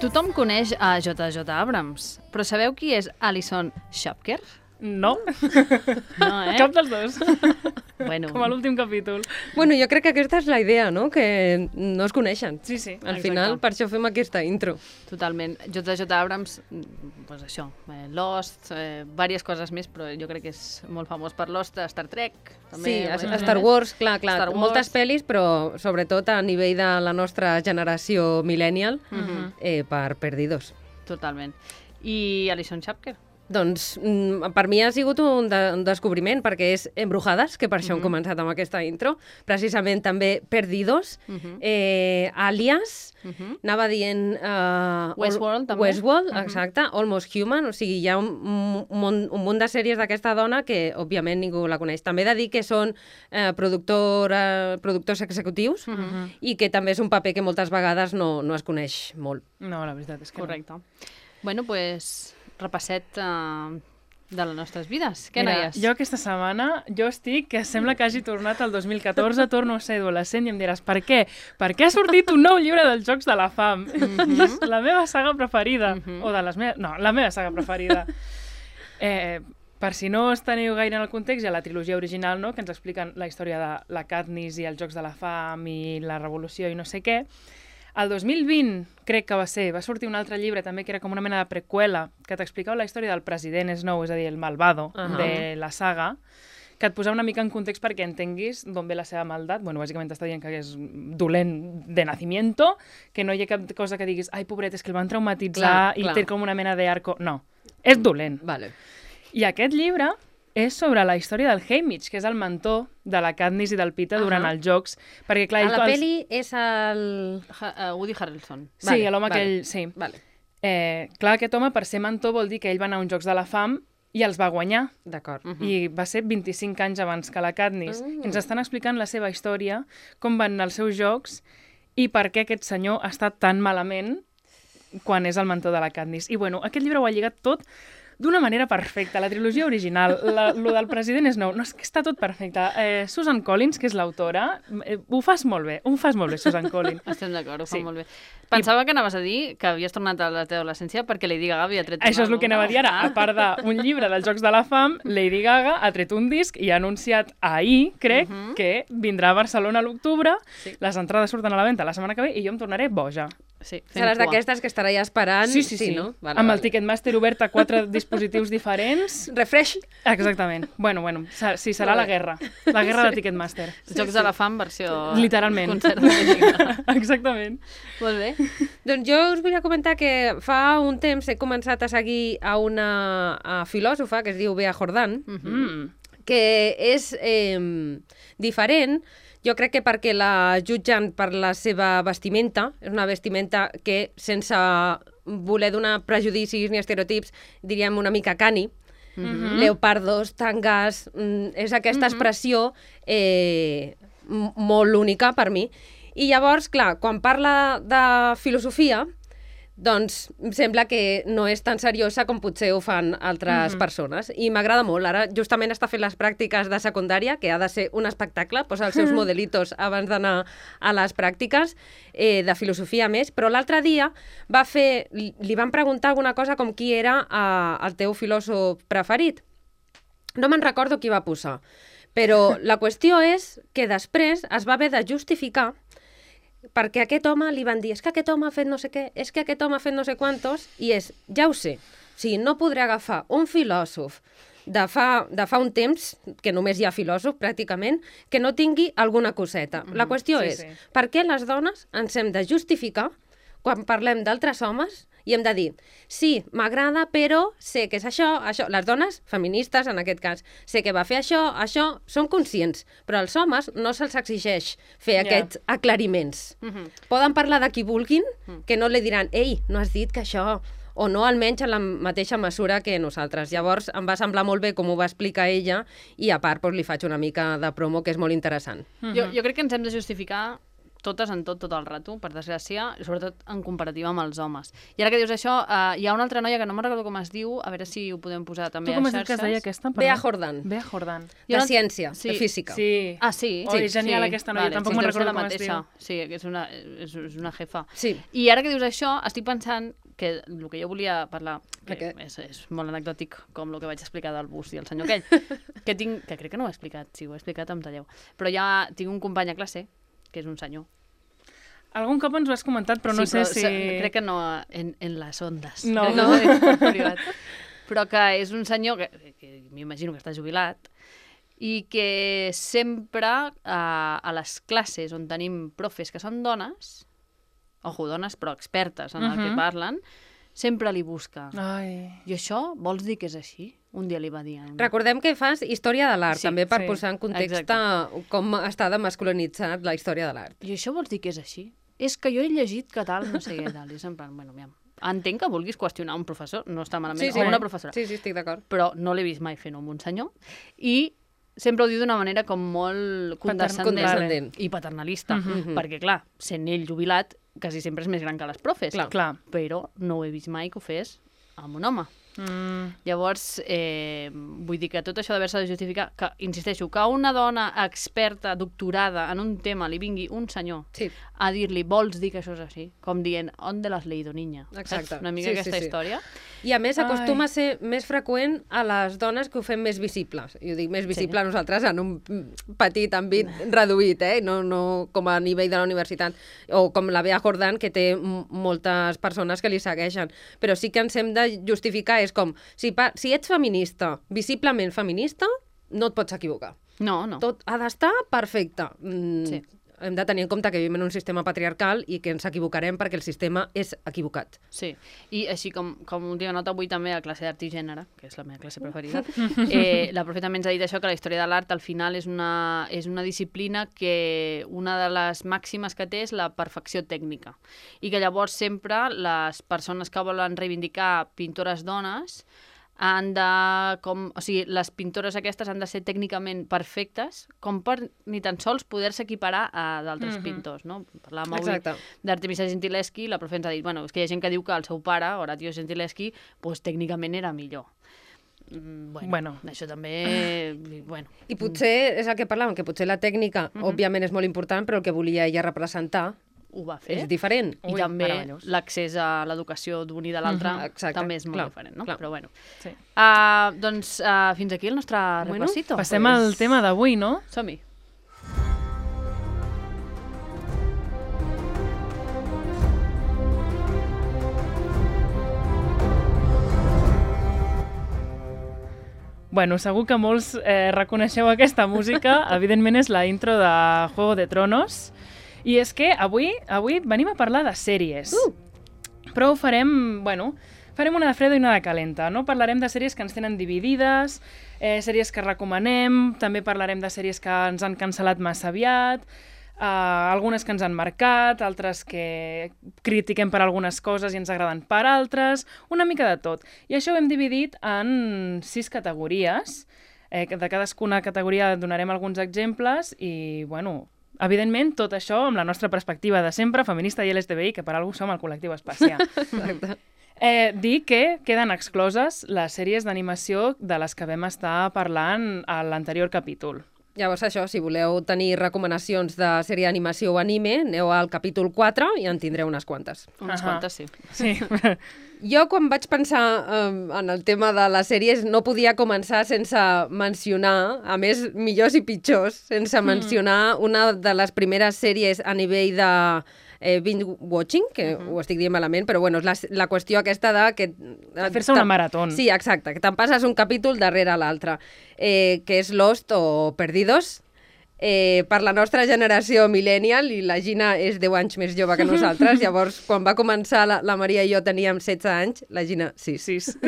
Tothom coneix a J.J. Abrams, però sabeu qui és Alison Schapker? No. No, Cap dels dos. Bueno, Com a l'últim capítol. Bueno, jo crec que aquesta és la idea, no? Que no es coneixen. Sí, sí. Al exacte. final, per això fem aquesta intro. totalment. J.J. Abrams, pues això, Lost, diverses coses més, però jo crec que és molt famós per Lost, Star Trek. També, Sí, a Star Wars, clar, Star Wars. moltes pel·lis, però sobretot a nivell de la nostra generació millennial, per Perdidos. Totalment. I Alison Schapker? Doncs per mi ha sigut un descobriment, perquè és Embrujades, que per això hem començat amb aquesta intro, precisament també Perdidos, Alias, anava dient... Westworld, també. Westworld, exacte, Almost Human, o sigui, hi ha un munt de sèries d'aquesta dona que, òbviament, ningú la coneix. També he de dir que són productors executius i que també és un paper que moltes vegades no es coneix molt. No, la veritat és que Correcte. Bueno, pues, repasset de les nostres vides. Què, Mira, noies? jo aquesta setmana, que sembla que hagi tornat al 2014, torno a ser adolescent i em diràs, per què? Perquè ha sortit un nou llibre dels Jocs de la Fam. És la meva saga preferida. O de les meves... No, la meva saga preferida. Per si no us teniu gaire en el context, hi ha la trilogia original, no?, que ens expliquen la història de la Katniss i els Jocs de la Fam i la Revolució i no sé què. El 2020, crec que va sortir un altre llibre també que era com una mena de preqüela que t'explicava la història del president Snow, és a dir, el malvado de la saga, que et posava una mica en context perquè entenguis d'on ve la seva maldat. Bueno, bàsicament t'està dient que és dolent de nacimiento, que no hi ha cap cosa que diguis ai, pobret, és que el van traumatitzar i té com una mena d'arco. No, és dolent. Vale. I aquest llibre és sobre la història del Haymitch, que és el mentor de la Katniss i del Peeta durant els jocs. Perquè, clar, A la pel·li és el... Woody Harrelson. Sí, Vale, l'home vale. aquell... Sí. Vale, Clar, aquest home, per ser mentor, vol dir que ell va anar a uns Jocs de la Fam i els va guanyar. d'acord. I va ser 25 anys abans que la Katniss. I ens estan explicant la seva història, com van anar els seus jocs i per què aquest senyor ha estat tan malament quan és el mentor de la Katniss. I bueno, aquest llibre ho ha lligat tot d'una manera perfecta. La trilogia original, lo del president Snow, no, és que està tot perfecte. Susan Collins, que és l'autora, ho fas molt bé, Susan Collins. Estem d'acord, ho fa Sí. molt bé. Pensava que anaves a dir que havies tornat a la teva adolescència perquè Lady Gaga havia tret... Això és el que anava a dir ara. A part d'un llibre dels Jocs de la Fam, Lady Gaga ha tret un disc i ha anunciat ahir, crec, que vindrà a Barcelona a l'octubre. Sí. Les entrades surten a la venda la setmana que ve i jo em tornaré boja. Sí, fent Seràs cua. d'aquestes que estarà ja esperant. Sí. No? Vale, Amb vale. el Ticketmaster obert a 4 dispositius diferents. Refresh. Exactament. Bueno, sí, serà la guerra. La guerra de Ticketmaster. Jocs de la Fam, versió... Literalment. Concert de Lady Gaga. Exactament. Molt bé. Doncs jo us volia comentar que fa un temps he començat a seguir a una filòsofa que es diu Bea Jordan, que és diferent. Jo crec que perquè la jutgen per la seva vestimenta, és una vestimenta que sense voler donar prejudicis ni estereotips, diríem una mica cani, leopardos, tangas, és aquesta expressió molt única per mi. I llavors, clar, quan parla de filosofia, doncs sembla que no és tan seriosa com potser ho fan altres persones. I m'agrada molt. Ara justament està fent les pràctiques de secundària, que ha de ser un espectacle, posa els seus modelitos abans d'anar a les pràctiques de filosofia més, però l'altre dia li van preguntar alguna cosa com qui era el teu filòsof preferit. No me'n recordo qui va posar, però la qüestió és que després es va haver de justificar perquè a aquest home li van dir és que aquest home ha fet no sé què, és que aquest home ha fet no sé quantos, i ja ho sé. O sigui, no podré agafar un filòsof de fa un temps, que només hi ha filòsof pràcticament, que no tingui alguna coseta. La qüestió és, per què les dones ens hem de justificar quan parlem d'altres homes i hem de dir, sí, m'agrada, però sé que és això. Les dones, feministes en aquest cas, sé que va fer això, són conscients, però als homes no se'ls exigeix fer aquests aclariments. Poden parlar de qui vulguin, que no li diran, ei, no has dit que això... o no almenys en la mateixa mesura que nosaltres. Llavors em va semblar molt bé com ho va explicar ella i a part li faig una mica de promo que és molt interessant. Jo crec que ens hem de justificar totes en tot el rato, per desgràcia, i sobretot en comparativa amb els homes. I ara que dius això, hi ha una altra noia que no me'n recordo com es diu, a veure si ho podem posar també a xarxes. Tu com has dit que es deia aquesta? Bea Jordan. Bea Jordan. De ciència, de física. Sí. Ah, sí? Oh, és genial aquesta noia, tampoc me'n recordo com es diu. Sí, és una jefa. Sí. I ara que dius això, estic pensant que el que jo volia parlar, que és molt anecdòtic, com el que vaig explicar del bus i el senyor aquell, que crec que no ho he explicat, si ho he explicat em talleu, però ja tinc un company a classe, que és un senyor. Algun cop ens ho has comentat, però no sé si... Crec que no en les ondes. No. Però que és un senyor que m'imagino que està jubilat i que sempre a les classes on tenim profes que són dones, ojo, dones però expertes en el que parlen, sempre li busca. Ai. I això vols dir que és així? Un dia li va dir... Recordem que fas història de l'art, també per posar en context com està de masculinitzat la història de l'art. I això vols dir que és així? És que jo he llegit que tal, no sé què, tal. I és en plan, bueno, entenc que vulguis qüestionar un professor, no està malament, o una professora. Sí, estic d'acord. Però no l'he vist mai fent-ho amb un senyor. I sempre ho diu d'una manera com molt condescendent i paternalista. Perquè, clar, sent ell jubilat, quasi sempre és més gran que les profes. Clar. Però no ho he vist mai que ho fes amb un home. Llavors, vull dir que tot això d'haver-se de justificar, que, insisteixo, que una dona experta, doctorada en un tema li vingui un senyor a dir-li, vols dir que això és així? Com dient, on de l'has leído, niña? Exacte. Una mica aquesta història. I a més acostuma a ser més freqüent a les dones que ho fem més visibles. Jo dic més visible a nosaltres en un petit àmbit reduït, no com a nivell de la universitat, o com la Bea Jordan, que té moltes persones que li segueixen. Però sí que ens hem de justificar, és com, si ets feminista, visiblement feminista, no et pots equivocar. No. Tot ha d'estar perfecte. Sí. Hem de tenir en compte que vivim en un sistema patriarcal i que ens equivocarem perquè el sistema és equivocat. Sí, i així com última nota avui també a la classe d'art i gènere, que és la meva classe preferida, la profe també ens ha dit això, que la història de l'art al final és una disciplina que una de les màximes que té és la perfecció tècnica i que llavors sempre les persones que volen reivindicar pintores dones han de, o sigui, les pintores aquestes han de ser tècnicament perfectes com per ni tan sols poder-se equiparar a d'altres pintors, no? Parlàvem avui d'Artemisa Gentileschi, la profe ens ha dit, bueno, és que hi ha gent que diu que el seu pare, Horatio Gentileschi, pues, tècnicament era millor. Bueno, això també... Bueno. I potser, és el que parlàvem, que potser la tècnica, òbviament, és molt important, però el que volia ella representar ho va fer. És diferent. I també l'accés a l'educació d'un i de l'altre també és molt diferent, no? Però bueno. Doncs fins aquí el nostre repasito. Passem al tema d'avui, no? Som-hi. Bueno, segur que molts reconeixeu aquesta música. Evidentment és la intro de Juego de Tronos. I és que avui venim a parlar de sèries. Però ho farem, farem una de freda i una de calenta, no? Parlarem de sèries que ens tenen dividides, sèries que recomanem, també parlarem de sèries que ens han cancel·lat massa aviat, algunes que ens han marcat, altres que critiquem per algunes coses i ens agraden per altres, una mica de tot. I això ho hem dividit en 6 categories. De cadascuna categoria donarem alguns exemples i, evidentment, tot això amb la nostra perspectiva de sempre, feminista i LGTBI, que per alguna cosa som el col·lectiu espacial. Dir que queden excloses les sèries d'animació de les que vam estar parlant a l'anterior capítol. Llavors això, si voleu tenir recomanacions de sèrie d'animació o anime, aneu al capítol 4 i en tindreu unes quantes. Unes quantes, sí. Jo, quan vaig pensar en el tema de les sèries, no podia començar sense mencionar, a més, millors i pitjors, sense mencionar una de les primeres sèries a nivell de binge-watching, que ho estic dient malament, però és la qüestió aquesta de fer-se una marató. Sí, exacte, que te'n passes un capítol darrere l'altre, que és Lost o Perdidos. Per la nostra generació millennial, i la Gina és 10 anys més jove que nosaltres, llavors quan va començar la Maria i jo teníem 16 anys, la Gina 6.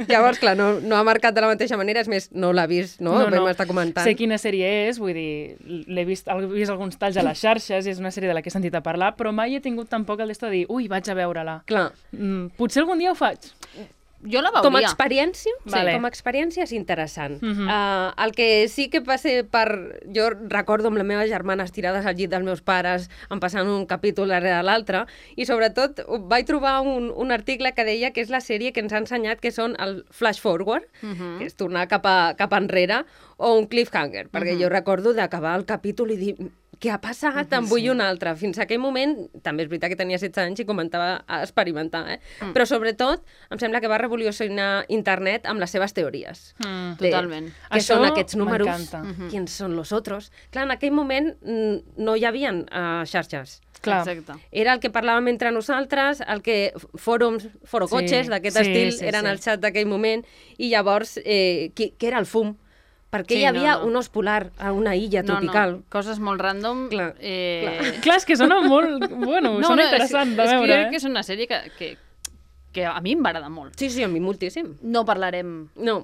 Llavors, clar, no ha marcat de la mateixa manera, és més, no l'ha vist, no? Vam estar comentant. Sé quina sèrie és, vull dir, he vist alguns talls a les xarxes, és una sèrie de la que he sentit a parlar, però mai he tingut tampoc el d'esto de dir, ui, vaig a veure-la. Clar. Potser algun dia ho faig. Jo la Com a veuria. experiència, Vale. com a experiència és interessant. El que sí que va ser per... Jo recordo amb la meva germana estirades al llit dels meus pares, em passant un capítol darrere l'altre, i sobretot vaig trobar un article que deia que és la sèrie que ens ha ensenyat que són el flash forward, que és tornar cap enrere, o un cliffhanger, perquè jo recordo d'acabar el capítol i dir... Què ha passat? En vull un altre. Fins a aquell moment, també és veritat que tenia 16 anys i començava a experimentar, però sobretot em sembla que va revolucionar internet amb les seves teories. Totalment. Què Això són aquests números? m'encanta. Qui són los otros? Clar, en aquell moment no hi havia xarxes. Clar. Exacte. Era el que parlàvem entre nosaltres, el que forocotxes Sí, d'aquest sí, estil sí, eren sí. el xat d'aquell moment, i llavors, què era el fum? Perquè Sí, hi havia no. un os polar a una illa tropical. No, coses molt random. Clar, Clar, és que sona molt... Bueno, sona interessant de és que jo veure, crec que és una sèrie que a mi em va agradar molt. Sí, a mi moltíssim. No parlarem No,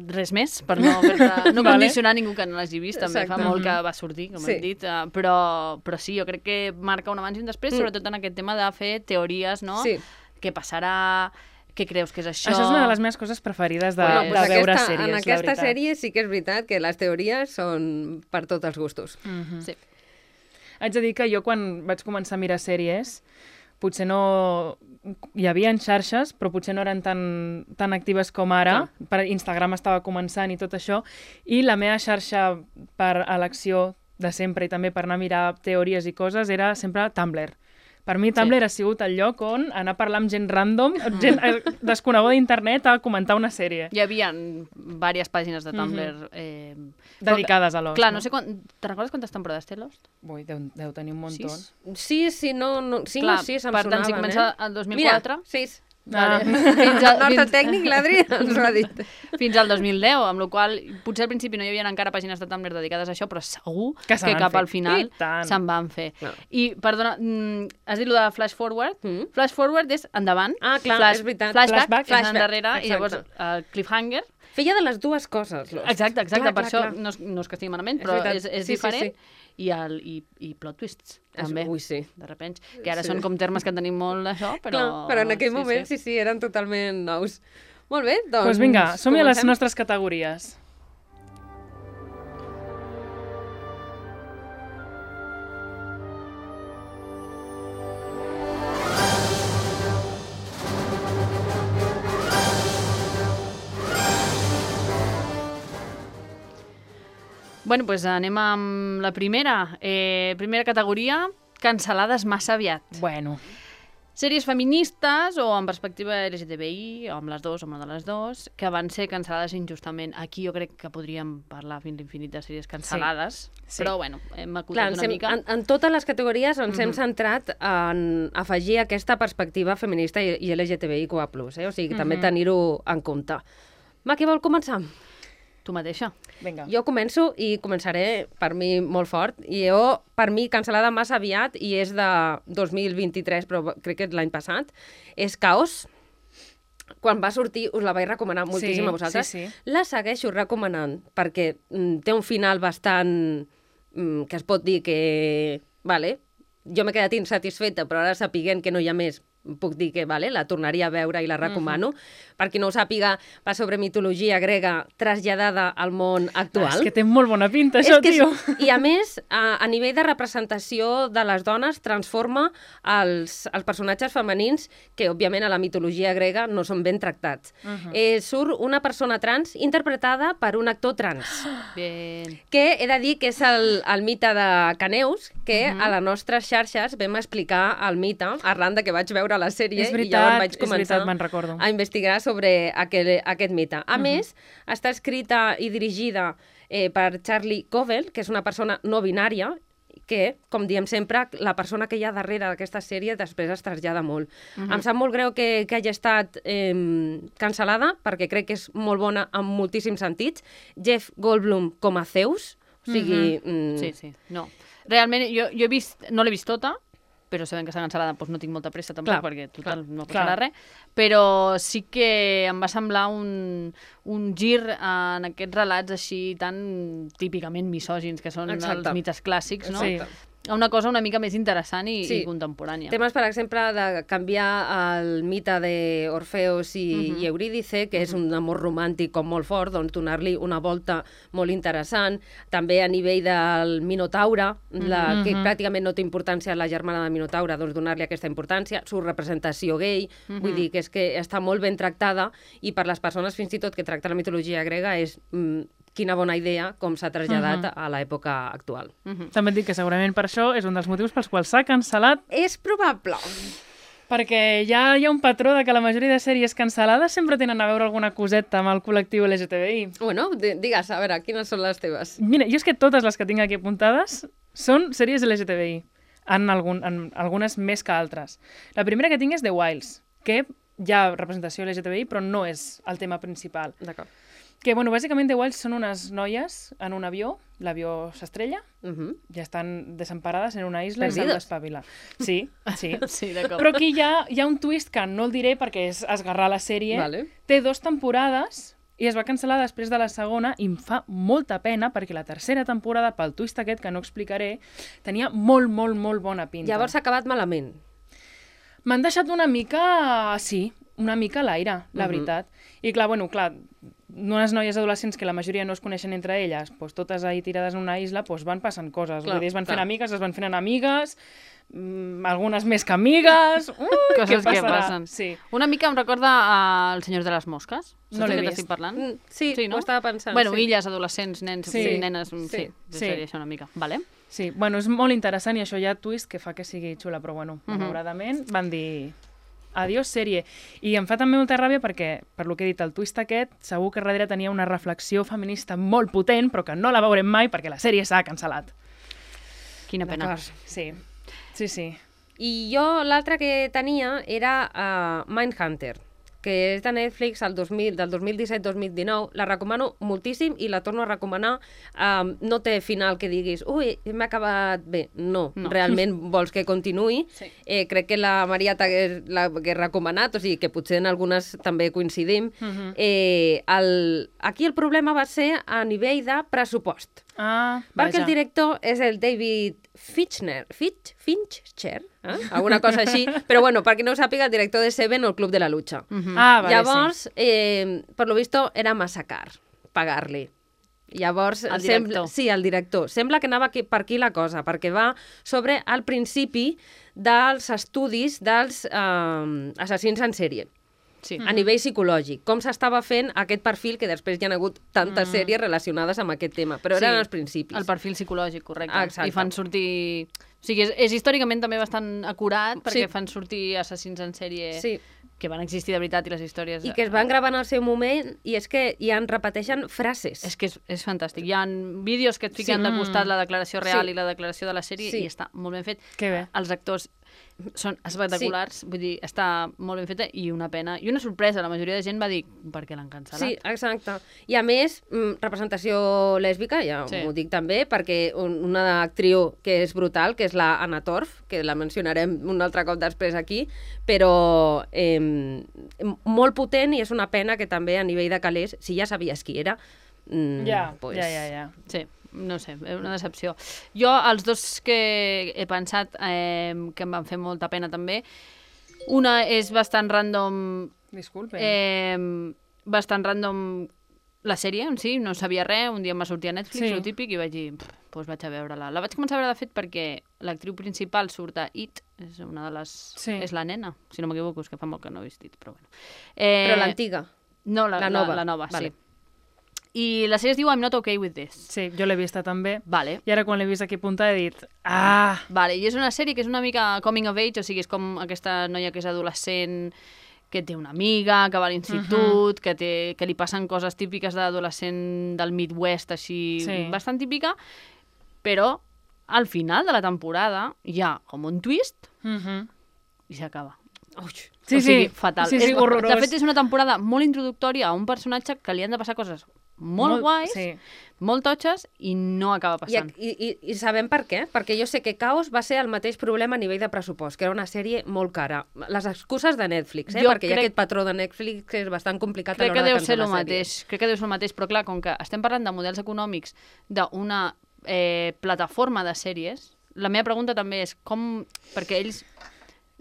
res més, per no, no Vale. condicionar ningú que no l'hagi vist, també fa Exacte. molt que va sortir, com Sí. hem dit, però sí, jo crec que marca un abans i un després, sobretot en aquest tema de fer teories, no? Sí. Què passarà, què creus que és això? Això és una de les meves coses preferides de, Bueno, de veure en sèries, la aquesta veritat. sèrie sí que és veritat que les teories són per tots els gustos. Sí. Haig de dir que jo quan vaig començar a mirar sèries, potser no... Hi havia xarxes, però potser no eren tan actives com ara. Per Instagram estava començant i tot això. I la meva xarxa per elecció de sempre i també per anar a mirar teories i coses era sempre Tumblr. Per mi Tumblr ha sigut el lloc on anar a parlar amb gent random, gent desconeguda d'internet a comentar una sèrie. Hi havia diverses pàgines de Tumblr Dedicades a Lost. Clar, no sé te'n recordes quantes temporades té Lost? Ui, deu tenir un muntó. 6? Sí, no, 5 Clar, o 6 em per tant, si sonaven, comença el 2004... Mira, 6. Vale. El nostre tècnic, l'Adri, ens ho ha dit. Fins al 2010, amb la qual potser al principi no hi havia encara pàgines de Tumblr dedicades a això, però segur Que se que n'han cap fet. al final I tant. se'n van fer. Clar. I, perdona, has dit lo de Flash Forward? Flash Forward és endavant. Ah, clar, és veritat. Flashback, Flashback, és flashback, endarrere, i llavors exacte. cliffhanger. Feia de les dues coses. Lost. Exacte, Clar, per això clar. no és que estigui malament, És però veritat. és Sí, diferent. sí. I plot twists, també. Ui, sí. De repente, que ara Sí. són com termes que tenim molt d'això, però... Clar, però en aquell moment sí, eren totalment nous. Molt bé, doncs... Doncs vinga, som-hi a les comencem? nostres categories. Bueno, doncs anem amb la primera. Primera categoria, cancel·lades massa aviat. Bueno, Sèries feministes o amb perspectiva LGTBI, o amb les dues, o amb una de les dues, que van ser cancel·lades injustament. Aquí jo crec que podríem parlar fins l'infinit de sèries cancel·lades, Sí. però bueno, hem Clar, acotat una mica. en totes les categories ens hem centrat en afegir aquesta perspectiva feminista i LGTBIQ+, o sigui, també tenir-ho en compte. Va, qui vol començar? Tu mateixa. vinga. Jo començo i començaré per mi molt fort. I jo, per mi, cancel·lada massa aviat, i és de 2023, però crec que és l'any passat, és Caos. Quan va sortir us la vaig recomanar moltíssim Sí, a vosaltres. sí, sí. La segueixo recomanant perquè té un final bastant que es pot dir que... Vale, jo m'he quedat insatisfeta, però ara sapiguent que no hi ha més, puc dir que vale, la tornaria a veure i la recomano. Per qui no ho sàpiga, va sobre mitologia grega traslladada al món actual. És que té molt bona pinta, això, tio. I a més, a nivell de representació de les dones, transforma els personatges femenins que, òbviament, a la mitologia grega no són ben tractats. Surt una persona trans interpretada per un actor trans, Bien. que he de dir que és el mite de Caneus, que a les nostres xarxes vam explicar el mite arran de que vaig veure la sèrie És i veritat, llavors vaig és començar veritat, me'n recordo. a investigar sobre aquest mite. A més, està escrita i dirigida per Charlie Covell, que és una persona no binària, que, com diem sempre, la persona que hi ha darrere d'aquesta sèrie després es trasllada molt. Em sap molt greu que hagi estat cancel·lada, perquè crec que és molt bona en moltíssims sentits. Jeff Goldblum com a Zeus, o sigui... Sí. No. Realment, jo he vist, no l'he vist tota, però sabent que està cancel·lada doncs no tinc molta pressa tampoc, Clar, perquè total no clar. passarà res, però sí que em va semblar un gir en aquests relats així tan típicament misògins, que són Exacte. els mites clàssics, no? Sí. a una cosa una mica més interessant i Sí. contemporània. Temes, per exemple, de canviar el mite d'Orfeus i Eurídice, que és un amor romàntic com molt fort, doncs donar-li una volta molt interessant. També a nivell del Minotaure, que pràcticament no té importància la germana de Minotaure, doncs donar-li aquesta importància. Su representació gay, vull dir que és que està molt ben tractada i per les persones fins i tot que tracten la mitologia grega és quina bona idea com s'ha traslladat a l'època actual. També et dic que segurament per això és un dels motius pels quals s'ha cancel·lat, És probable. perquè ja hi ha un patró de que la majoria de sèries cancel·lades sempre tenen a veure alguna coseta amb el col·lectiu LGTBI. Bueno, digues, a veure, quines són les teves? Mira, jo és que totes les que tinc aquí apuntades són sèries LGTBI, en algunes més que altres. La primera que tinc és The Wilds, que hi ha representació LGTBI, però no és el tema principal. D'acord. Que, bueno, bàsicament The Wilds són unes noies en un avió, l'avió s'estrella, ja estan desemparades en una isla i s'han Perdidos. d'espavilar. Sí, sí. Sí, d'acord. Però aquí hi ha un twist que no el diré perquè és esgarrar la sèrie. Vale. Té 2 temporades i es va cancel·lar després de la segona i em fa molta pena perquè la tercera temporada, pel twist aquest que no explicaré, tenia molt, molt, molt bona pinta. Llavors s'ha acabat malament. M'han deixat una mica, sí, una mica a l'aire, la veritat. I clar, unes noies adolescents que la majoria no es coneixen entre elles, doncs totes ahí tirades en una isla, doncs van passant coses. Clar, Vull dir, es van fent clar. amigues, es van fent enemigues, algunes més que amigues... Coses què que passarà? passen. Sí. Una mica em recorda El senyor de les mosques. No Saps l'he de què vist. t'estic parlant? Sí, no? ho estava pensant. Bueno, sí. illes, adolescents, nens, Sí. nenes... Sí, Sí. seria això una mica. Vale? Sí, bueno, és molt interessant i això hi ha twist que fa que sigui xula, però bueno, malauradament van dir adiós sèrie. I em fa també molta ràbia perquè, per lo que he dit, el twist aquest, segur que darrere tenia una reflexió feminista molt potent, però que no la veurem mai perquè la sèrie s'ha cancel·lat. Quina pena. D'acord. Sí, sí, sí. I jo l'altra que tenia era Mindhunter, que és de Netflix del 2017-2019. La recomano moltíssim i la torno a recomanar. No té final que diguis ui, m'ha acabat bé. No, realment vols que continuï. Sí. Crec que la Maria l'hagués recomanat, o sigui que potser en algunes també coincidim. Aquí el problema va ser a nivell de pressupost. Perquè el director és el David Fincher, alguna cosa així, però bueno, perquè no ho sàpiga, el director de Seven o el Club de la Lucha. Vale, Llavors, per lo visto, era massa car pagar-li. Llavors, El director. Sí, el director. Sembla que anava per aquí la cosa, perquè va sobre el principi dels estudis dels assassins en sèrie. Sí. A nivell psicològic, com s'estava fent aquest perfil, que després hi ha hagut tantes sèries relacionades amb aquest tema, però eren els principis. El perfil psicològic, correcte. Exacte. I fan sortir... O sigui, és històricament també bastant acurat, perquè fan sortir assassins en sèrie Sí. que van existir de veritat i les històries... I que es van gravar en el seu moment i és que ja en repeteixen frases. És que és fantàstic. Hi ha vídeos que et fiquen de costat la declaració real i la declaració de la sèrie i està molt ben fet. Que bé. Els actors són espectaculars, vull dir, està molt ben feta i una pena. I una sorpresa, la majoria de gent va dir per què l'han cancel·lat. Sí, exacte. I a més, representació lèsbica, ja Sí. m'ho dic també, perquè una actriu que és brutal, que és la Anna Torf, que la mencionarem un altre cop després aquí, però molt potent i és una pena que també a nivell de calés, si ja sabies qui era, Ja. Sí, no sé, una decepció. Jo, els dos que he pensat que em van fer molta pena també, una és bastant random... Disculpe. Bastant random la sèrie en si, no sabia res, un dia em va sortir a Netflix, Sí. el típic, i vaig dir, doncs vaig a veure-la. La vaig començar a veure, de fet, perquè l'actriu principal surt a It, és una de les... Sí. És la nena, si no m'equivoco, és que fa molt que no he vist It, però bueno. Però l'antiga. No, la nova. La nova, Vale. sí. I la sèrie es diu I'm Not Okay With This. Sí, jo l'he vista també. Vale. I ara quan l'he vist aquí apuntada he dit Vale, i és una sèrie que és una mica coming of age, o sigui, és com aquesta noia que és adolescent, que té una amiga, que va a l'institut, que li passen coses típiques d'adolescent del Midwest, així, Sí. bastant típica, però al final de la temporada hi ha com un twist i s'acaba. Sí, o sigui, sí. fatal. Sí, sí, horrorós. De fet, és una temporada molt introductòria a un personatge que li han de passar coses molt guais, sí. molt totxes, i no acaba passant. I sabem per què? Perquè jo sé que Caos va ser el mateix problema a nivell de pressupost, que era una sèrie molt cara. Les excuses de Netflix, Jo perquè hi ha crec- aquest patró de Netflix que és bastant complicat a Crec que l'hora de deu ser el cancel·lar mateix. Crec que deu ser el mateix, però clar, com que estem parlant de models econòmics d'una plataforma de sèries, la meva pregunta també és com... Perquè ells...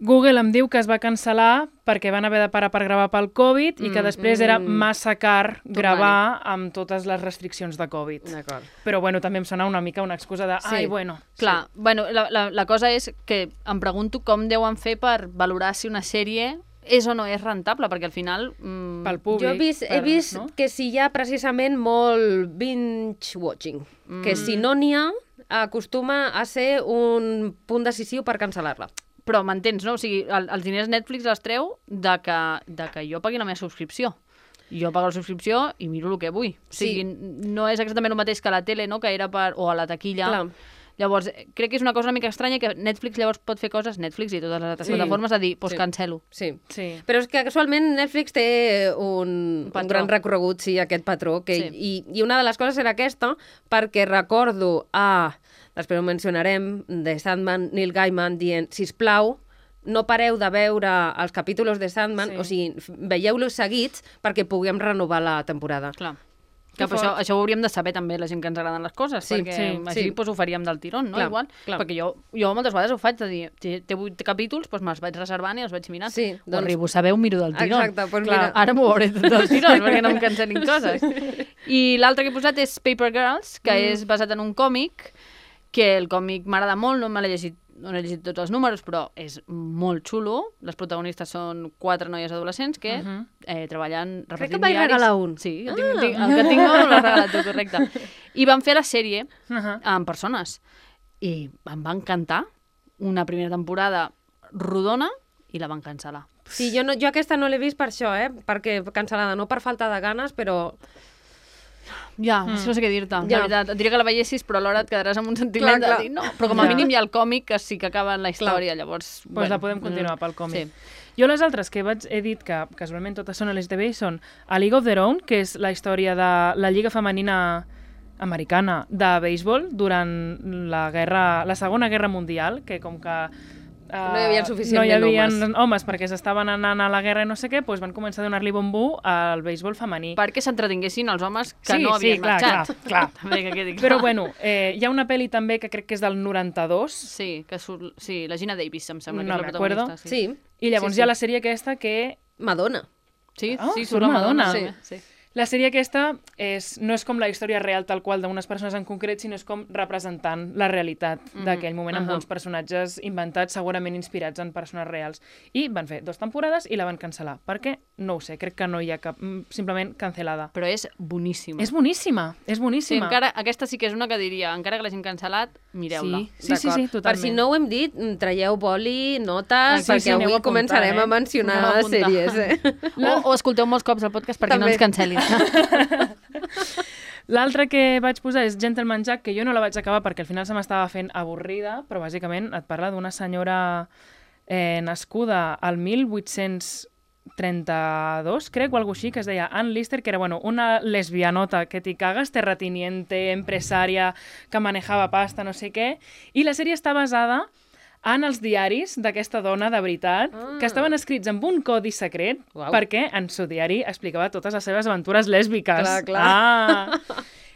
Google em diu que es va cancel·lar perquè van haver de parar per gravar pel Covid i que després era massa car gravar amb totes les restriccions de Covid. D'acord. Però bueno, també em sona una mica una excusa de ai, bueno... Clar, bueno, la cosa és que em pregunto com deuen fer per valorar si una sèrie és o no és rentable, perquè al final... Pel públic. Jo he vist no? que si hi ha precisament molt binge-watching, que si no n'hi ha, acostuma a ser un punt decisiu per cancel·lar-la. Però m'entens, no? O sigui, els diners Netflix els treu de que jo pagui la meva subscripció. Jo pago la subscripció i miro el que vull. O sigui, no és exactament el mateix que a la tele, no? Que era o a la taquilla. Clar. Llavors, crec que és una cosa una mica estranya que Netflix llavors pot fer coses, Netflix i totes les altres plataformes, a dir, doncs cancel·lo. Sí. Però és que casualment Netflix té un gran recorregut, aquest patró. I una de les coses era aquesta, perquè recordo després ho mencionarem, de Sandman, Neil Gaiman dient, sisplau, no pareu de veure els capítols de Sandman, o sigui, veieu-los seguits perquè puguem renovar la temporada. Clar. Que això ho hauríem de saber també, la gent que ens agraden les coses, perquè així ho faríem del tirón, no? Igual. Perquè jo moltes vegades ho faig, de dir, té 8 capítols, doncs me'ls vaig reservant i els vaig mirant. Ho arribo a saber, ho miro del tirón. Exacte, doncs mira. Ara m'ho veuré del tirón, perquè no em cancel·lin coses. I l'altre que he posat és Paper Girls, que és basat en un còmic, que el còmic m'agrada molt, no he llegit tots els números, però és molt xulo. Les protagonistes són 4 noies adolescents que treballen repartint diaris. Crec que vaig regalar un. Sí, el que tinc no l'has regalat tu, correcte. I van fer la sèrie amb persones. I em va encantar. Una primera temporada rodona i la van cancel·lar. Sí, jo aquesta no l'he vist per això, perquè cancel·lada, no per falta de ganes, però... Ja, no sé què dir-te, la veritat. Et diria que la veiessis, però alhora et quedaràs amb un sentiment de dir no. Però com a mínim hi ha el còmic que sí que acaba en la història, llavors... Doncs la podem continuar pel còmic. Jo les altres que he dit que casualment totes són LGTB són A League of Their Own, que és la història de la Lliga Femenina Americana de béisbol durant la Segona Guerra Mundial, que com que no hi havia suficientment homes perquè s'estaven anant a la guerra i no sé què, doncs van començar a donar-li bombú al béisbol femení. Perquè s'entretinguessin els homes que no havien marxat. Clar. Però bueno, hi ha una pel·li també que crec que és del 92. Sí, la Gina Davis, em sembla, que és la protagonista. Sí. I llavors hi ha la sèrie aquesta que... Madonna. Sí, surt la Madonna. Sí. La sèrie aquesta no és com la història real tal qual d'unes persones en concret, sinó és com representant la realitat d'aquell moment amb uns personatges inventats, segurament inspirats en persones reals. I van fer 2 temporades i la van cancel·lar. Per què? No ho sé, crec que no hi ha cap... Simplement cancel·lada. Però és boníssima. És boníssima. Sí, aquesta sí que és una que diria, encara que l'hagin cancel·lat, mireu-la. Sí, totalment. Per si no ho hem dit, traieu boli, notes, perquè avui començarem a mencionar sèries. O escolteu molts cops el podcast perquè no ens cancel·lin. L'altre que vaig posar és Gentleman Jack, que jo no la vaig acabar perquè al final se m'estava fent avorrida, però bàsicament et parla d'una senyora nascuda al 1832, crec, o alguna així, que es deia Ann Lister, que era una lesbianota que t'hi cagues, terrateniente, empresària, que manejava pasta, no sé què, i la sèrie està basada en els diaris d'aquesta dona de veritat, que estaven escrits amb un codi secret, perquè en seu diari explicava totes les seves aventures lèsbiques. Clar.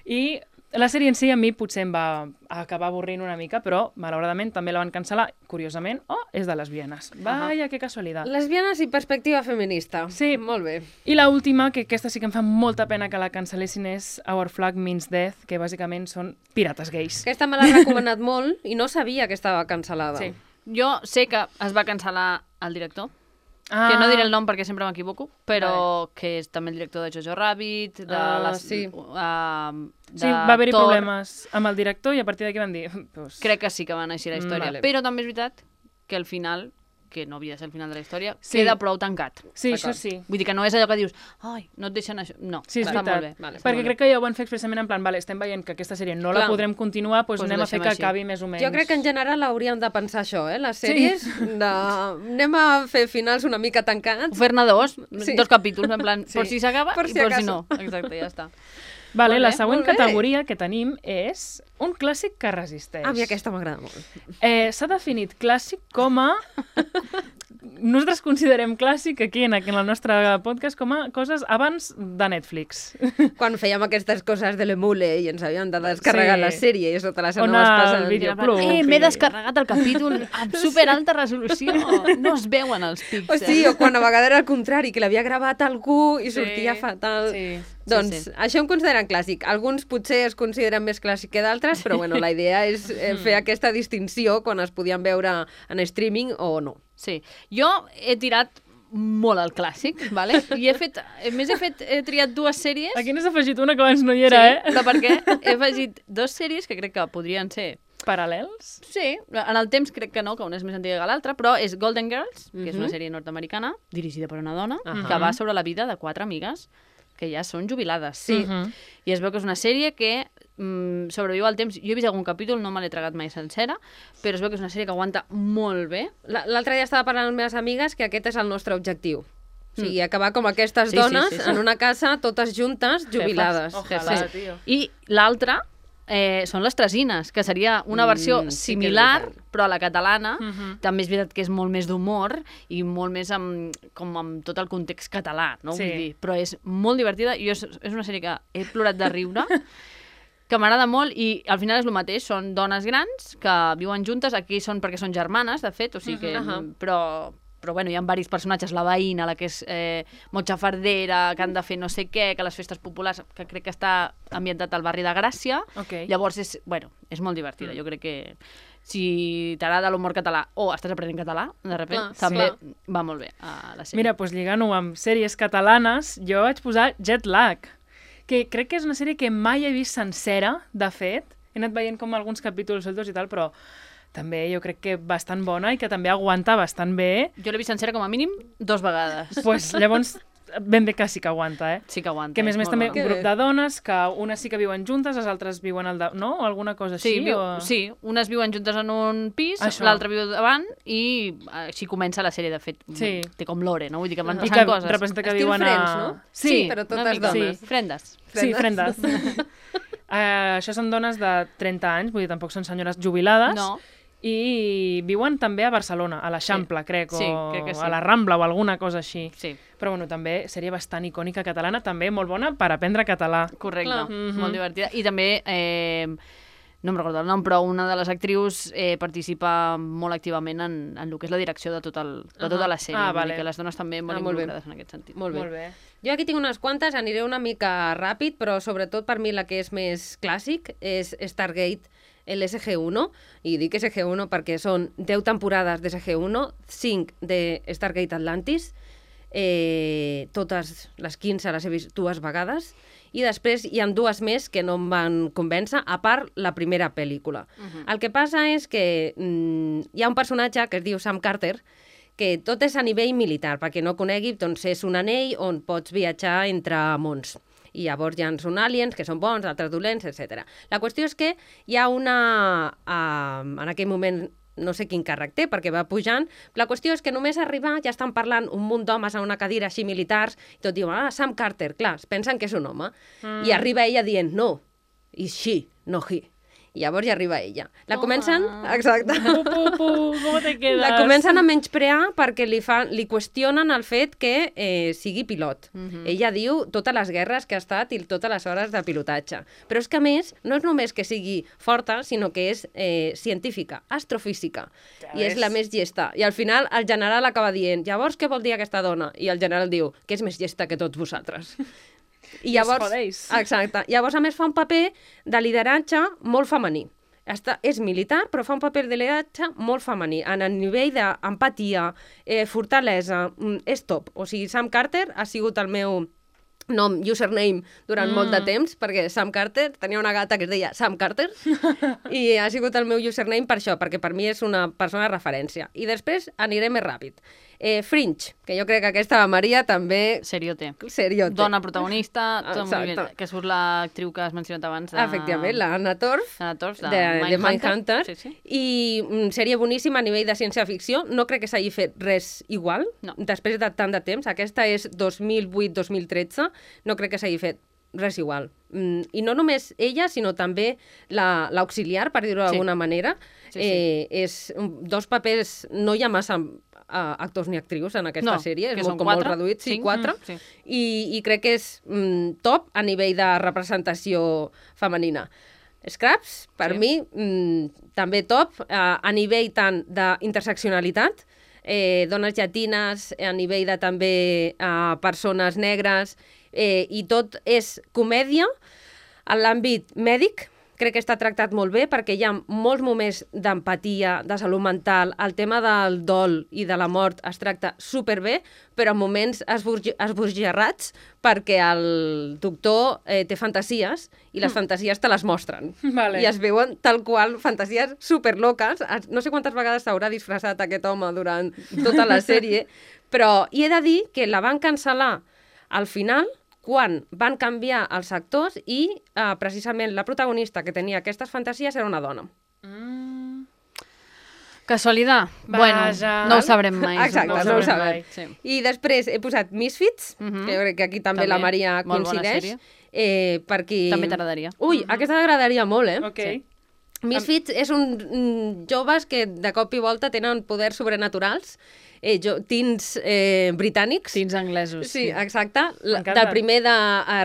I la sèrie en si a mi potser em va acabar avorrint una mica, però malauradament també la van cancel·lar, curiosament, és de lesbianes. Vaja, que casualitat. Lesbianes i perspectiva feminista. Sí. Molt bé. I l'última, que aquesta sí que em fa molta pena que la cancel·lessin, és Our Flag Means Death, que bàsicament són pirates gais. Aquesta me l'ha recomanat molt i no sabia que estava cancel·lada. Sí. Jo sé que es va cancel·lar el director, que no diré el nom perquè sempre m'equivoco, però que és també el director de Jojo Rabbit, sí, va haver-hi problemes amb el director i a partir d'aquí van dir... Crec que sí que van així la història, però també és veritat que al final, que no havia de ser el final de la història, queda prou tancat. Sí, això sí. Vull dir que no és allò que dius, ai, no et deixen això... No, sí, és veritat. Perquè crec que ja ho van fer expressament en plan, vale, estem veient que aquesta sèrie no la podrem continuar, doncs anem a fer que acabi més o menys. Jo crec que en general hauríem de pensar això, les sèries, anem a fer finals una mica tancats. Fer-ne 2 capítols, en plan, per si s'acaba i per si no. Exacte, ja està. Vale, la següent categoria que tenim és un clàssic que resisteix. A mi aquesta m'agrada molt. S'ha definit clàssic com a nosaltres considerem clàssic aquí en el nostre podcast com a coses abans de Netflix. Quan fèiem aquestes coses de l'emule i ens havíem de descarregar la sèrie i això te les anaves passant. M'he descarregat el capítol amb superalta resolució. No es veuen els píxels. O sí, o quan a vegades era al contrari, que l'havia gravat algú i sortia fatal. Doncs això em consideren clàssic. Alguns potser es consideren més clàssic que d'altres, però bueno, la idea és fer aquesta distinció quan es podien veure en streaming o no. Sí. Jo he tirat molt al clàssic, vale? I he triat dues sèries. Aquí n'has afegit una que abans no hi era, però per què? He afegit dues sèries que crec que podrien ser paral·lels? Sí, en el temps crec que no, que una és més antiga que l'altra, però és Golden Girls, que és una sèrie nord-americana, dirigida per una dona, que va sobre la vida de 4 amigues que ja són jubilades. Sí. I es veu que és una sèrie que sobreviu al temps. Jo he vist algun capítol, no me l'he tragat mai sencera, però es veu que és una sèrie que aguanta molt bé. L'altre dia estava parlant amb les meves amigues que aquest és el nostre objectiu. O sigui, acabar com aquestes dones en una casa, totes juntes, jubilades. Ojalà, tio. I l'altra són les Tresines, que seria una versió similar, però a la catalana. També és veritat que és molt més d'humor i molt més amb tot el context català, no? Vull dir, però és molt divertida i és una sèrie que he plorat de riure, que m'agrada molt i al final és el mateix, són dones grans que viuen juntes, aquí són perquè són germanes, de fet, o sigui que... Però bueno, hi ha diversos personatges, la veïna, la que és motxafardera, que han de fer no sé què, que les festes populars, que crec que està ambientat al barri de Gràcia. Llavors és molt divertida. Jo crec que si t'agrada l'humor català o estàs aprenent català, de repente, també va molt bé a la sèrie. Mira, doncs lligant-ho amb sèries catalanes, jo vaig posar Jet Lag, que crec que és una sèrie que mai he vist sencera, de fet. He anat veient com alguns capítols sueltos i tal, però també jo crec que bastant bona i que també aguanta bastant bé. Jo l'he vist sencera com a mínim 2 vegades. Pues llavors ben bé que sí que aguanta, Sí que aguanta. Que a més també un grup de dones, que unes sí que viuen juntes, les altres viuen no? O alguna cosa així? Sí, unes viuen juntes en un pis, l'altra viu davant i així comença la sèrie, de fet. Té com l'ore, no? Vull dir que van passant coses. Representa que viuen a... Friends, no? Sí, però totes dones. Frendes. Sí, frendes. Això són dones de 30 anys, vull dir, tampoc són senyores jubilades. No. I viuen també a Barcelona, a l'Eixample, crec, o crec que sí. A la Rambla o alguna cosa així. Sí. Però bueno, també sèrie bastant icònica catalana, també molt bona per aprendre català. Correcte, molt divertida. I també, no em recordo el nom, però una de les actrius participa molt activament en el que és la direcció de tota la sèrie. Vale. Que les dones també molt involucrades en aquest sentit. Molt bé. Jo aquí tinc unes quantes, aniré una mica ràpid, però sobretot per mi la que és més clàssic és Stargate, l'SG-1, i dic SG-1 perquè són 10 temporades de SG-1, 5 de Stargate Atlantis, totes les 15 les he vist 2 vegades, i després hi ha 2 més que no em van convèncer, a part la primera pel·lícula. El que passa és que hi ha un personatge que es diu Sam Carter, que tot és a nivell militar, perquè no conegui, doncs és un anell on pots viatjar entre mons. I llavors ja són aliens, que són bons, altres dolents, etc. La qüestió és que hi ha una... en aquell moment no sé quin càrrec té, perquè va pujant. La qüestió és que només arribar ja estan parlant un munt d'homes a una cadira així militars, i tot diuen, Sam Carter, clar, es pensen que és un home. I arriba ella dient, no, is she, no he. I llavors ja arriba ella. La comencen... Exacte. Com te quedes? La comencen a menysprear perquè li qüestionen el fet que sigui pilot. Ella diu totes les guerres que ha estat i totes les hores de pilotatge. Però és que, a més, no és només que sigui forta, sinó que és científica, astrofísica. I és la més llesta. I al final el general acaba dient, llavors què vol dir aquesta dona? I el general diu, que és més llesta que tots vosaltres. I llavors, exacte. Llavors, a més, fa un paper de lideratge molt femení. És militar, però fa un paper de lideratge molt femení. En el nivell d'empatia, fortalesa, és top. O sigui, Sam Carter ha sigut el meu nom, username, durant molt de temps, perquè Sam Carter, tenia una gata que es deia Sam Carter, i ha sigut el meu username per això, perquè per mi és una persona de referència. I després aniré més ràpid. Fringe, que jo crec que aquesta Maria també... Seriote. Dona protagonista, que surt l'actriu que has mencionat abans. Efectivament, l'Anna Torv, de Mindhunter. I sèrie boníssima a nivell de ciència-ficció. No crec que s'hagi fet res igual, després de tant de temps. Aquesta és 2008-2013. No crec que s'hagi fet res igual. I no només ella, sinó també l'auxiliar, per dir-ho d'alguna manera. És 2 papers, no hi ha massa actors ni actrius en aquesta sèrie, és molt reduït, sí, 4, i crec que és top a nivell de representació femenina. Scraps, per mi, també top, a nivell tant d'interseccionalitat, dones llatines, a nivell de també persones negres, i tot és comèdia. En l'àmbit mèdic, crec que està tractat molt bé perquè hi ha molts moments d'empatia, de salut mental, el tema del dol i de la mort es tracta superbé, però en moments esbojarrats perquè el doctor té fantasies i les fantasies te les mostren. Vale. I es veuen tal qual fantasies superloques. No sé quantes vegades s'haurà disfressat aquest home durant tota la sèrie, però he de dir que la van cancel·lar al final quan van canviar els actors i precisament la protagonista que tenia aquestes fantasies era una dona. Casualitat? Bueno, no ho sabrem mai. Exacte, no ho sabem. Sí. I després he posat Misfits, que jo crec que aquí també la Maria coincideix. Per qui... També t'agradaria. Ui, aquesta t'agradaria molt, Okay. Sí. Misfits és un joves que de cop i volta tenen poders sobrenaturals, teens britànics. Teens anglesos. Sí, exacte. Del primer de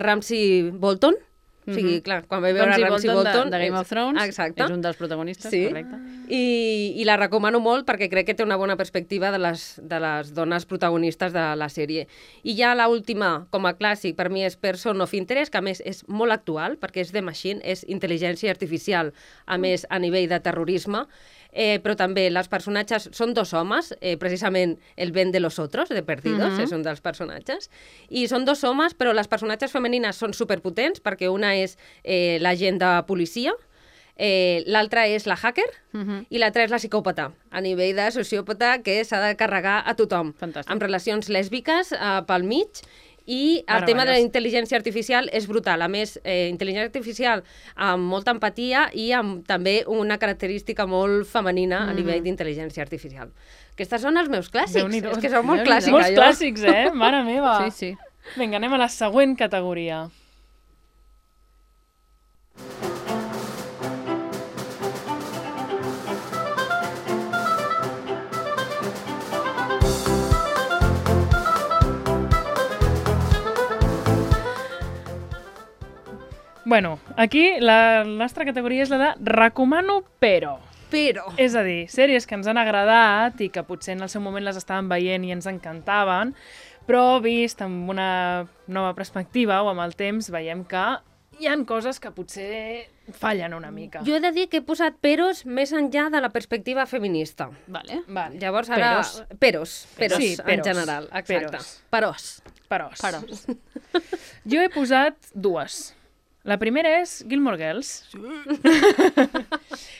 Ramsay Bolton. O sigui, clar, quan vaig veure Ramsay Bolton... De Game of Thrones, exacte. És un dels protagonistes, sí. Correcte. I la recomano molt perquè crec que té una bona perspectiva de les dones protagonistes de la sèrie. I ja l'última, com a clàssic, per mi és Person of Interest, que a més és molt actual, perquè és The Machine, és intel·ligència artificial, a més a nivell de terrorisme, però també els personatges són dos homes, precisament el Ben de los Otros, de Perdidos, és un dels personatges, i són dos homes, però les personatges femenines són superpotents, perquè una és l'agent de policia, l'altra és la hacker i l'altra és la psicòpata, a nivell de sociòpata que s'ha de carregar a tothom. Fantàstic. Amb relacions lèsbiques pel mig, i el tema de la intel·ligència artificial és brutal. A més, intel·ligència artificial amb molta empatia i amb també una característica molt femenina a nivell d'intel·ligència artificial. Aquests són els meus clàssics. És que són molt clàssics. Molts clàssics, Mare meva. Sí. Vinga, anem a la següent categoria. Bueno, aquí la nostra categoria és la de recomano però. Però. És a dir, sèries que ens han agradat i que potser en el seu moment les estàvem veient i ens encantaven, però vist amb una nova perspectiva o amb el temps veiem que hi han coses que potser fallen una mica. Jo he de dir que he posat peros més enllà de la perspectiva feminista. Vale. Llavors ara... Peros. Sí, en general. Exacte. Perós. Jo he posat dues. La primera és Gilmore Girls,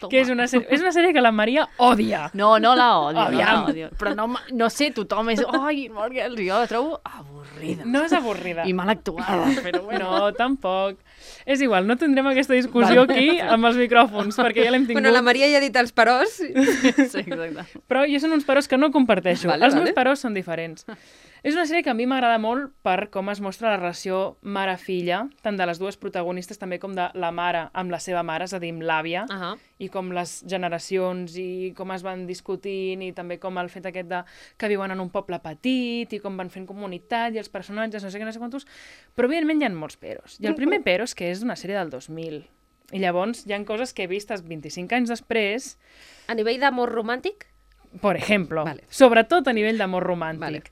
que és una sèrie que la Maria odia. No la odio. Però no sé, tothom és... Gilmore Girls, jo la trobo avorrida. No és avorrida. I mal actuada, però bueno. No, tampoc. És igual, no tindrem aquesta discussió aquí amb els micròfons, perquè ja l'hem tingut. Bueno, la Maria ja ha dit els perós. Sí, exacte. Però jo són uns perós que no comparteixo. Els meus perós són diferents. És una sèrie que a mi m'agrada molt per com es mostra la relació mare-filla, tant de les dues protagonistes també com de la mare amb la seva mare, és a dir, amb l'àvia, i com les generacions i com es van discutint i també com el fet aquest de que viuen en un poble petit i com van fent comunitat i els personatges, no sé quantos, però evidentment hi ha molts peros. I el primer pero és que és una sèrie del 2000. I llavors hi ha coses que he vistes 25 anys després... A nivell d'amor romàntic? Per exemple. Sobretot a nivell d'amor romàntic.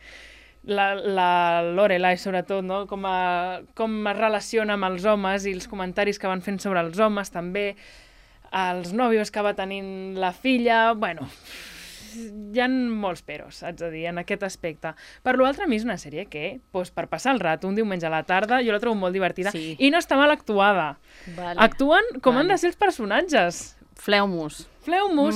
La Lorelai, sobretot, no? Com es relaciona amb els homes i els comentaris que van fent sobre els homes, també els nòvios que va tenint la filla... Bueno, hi ha molts peros, haig de dir, en aquest aspecte. Per l'altre, a mi és una sèrie que, per passar el rato, un diumenge a la tarda, jo la trobo molt divertida i no està mal actuada. Actuen com han de ser els personatges. Fleumus.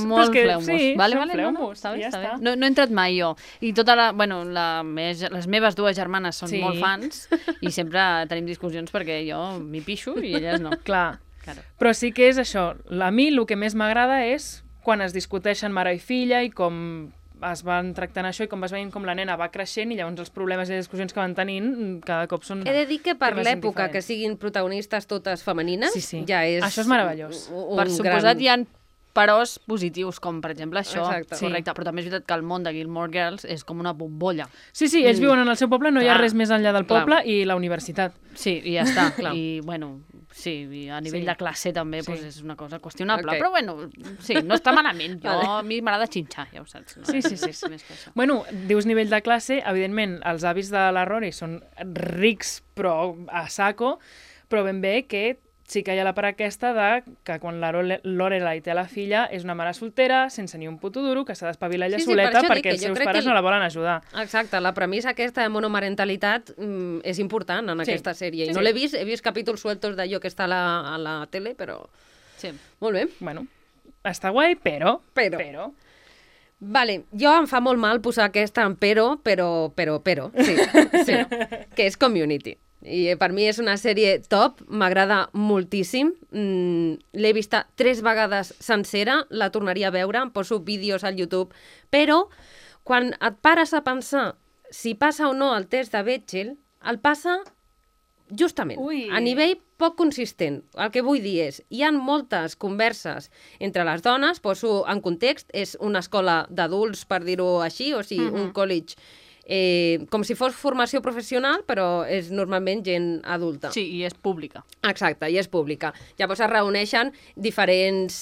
Molt fleumus. Sí, vale, fleumus. Està bé. No he entrat mai jo. I les meves dues germanes són molt fans i sempre tenim discussions perquè jo m'hi pixo i elles no. Clar. Però sí que és això. A mi el que més m'agrada és quan es discuteixen mare i filla i com es van tractant això i com vas veient com la nena va creixent i llavors els problemes i les discussions que van tenint cada cop són... He de dir que per l'època que siguin protagonistes totes femenines ja és... Això és meravellós. Per suposat hi ha peròs positius, com per exemple això. Exacte. Correcte, però també és veritat que el món de Gilmore Girls és com una bombolla. Sí, ells viuen en el seu poble, no hi ha res més enllà del poble i la universitat. Sí, i ja està. I, bueno, sí, i a nivell de classe també doncs és una cosa qüestionable. Però, bueno, sí, no està malament. A mi m'agrada xinxar, ja ho saps. No? Sí. Més que això. Bueno, dius nivell de classe, evidentment, els avis de la Rory són rics, però a saco, però ben bé que sí que hi ha la part aquesta de que quan la Lorelai té la filla és una mare soltera, sense ni un puto duro, que s'ha d'espavilar ella soleta perquè els seus pares no la volen ajudar. Exacte, la premissa aquesta de monomarentalitat és important en aquesta sèrie. I no l'he vist, he vist capítols sueltos d'allò que està a la tele, però... Sí. Molt bé. Bueno, està guai, però... Vale, jo em fa molt mal posar aquesta en però, sí, que és Community. I per mi és una sèrie top, m'agrada moltíssim. L'he vista 3 vegades sencera, la tornaria a veure, em poso vídeos al YouTube, però quan et pares a pensar si passa o no el test de Bechdel, el passa justament, a nivell poc consistent. El que vull dir és, hi ha moltes converses entre les dones, poso en context, és una escola d'adults, per dir-ho així, o sigui, un college com si fos formació professional, però és normalment gent adulta. Sí, i és pública. Exacte, i és pública. Llavors es reuneixen diferents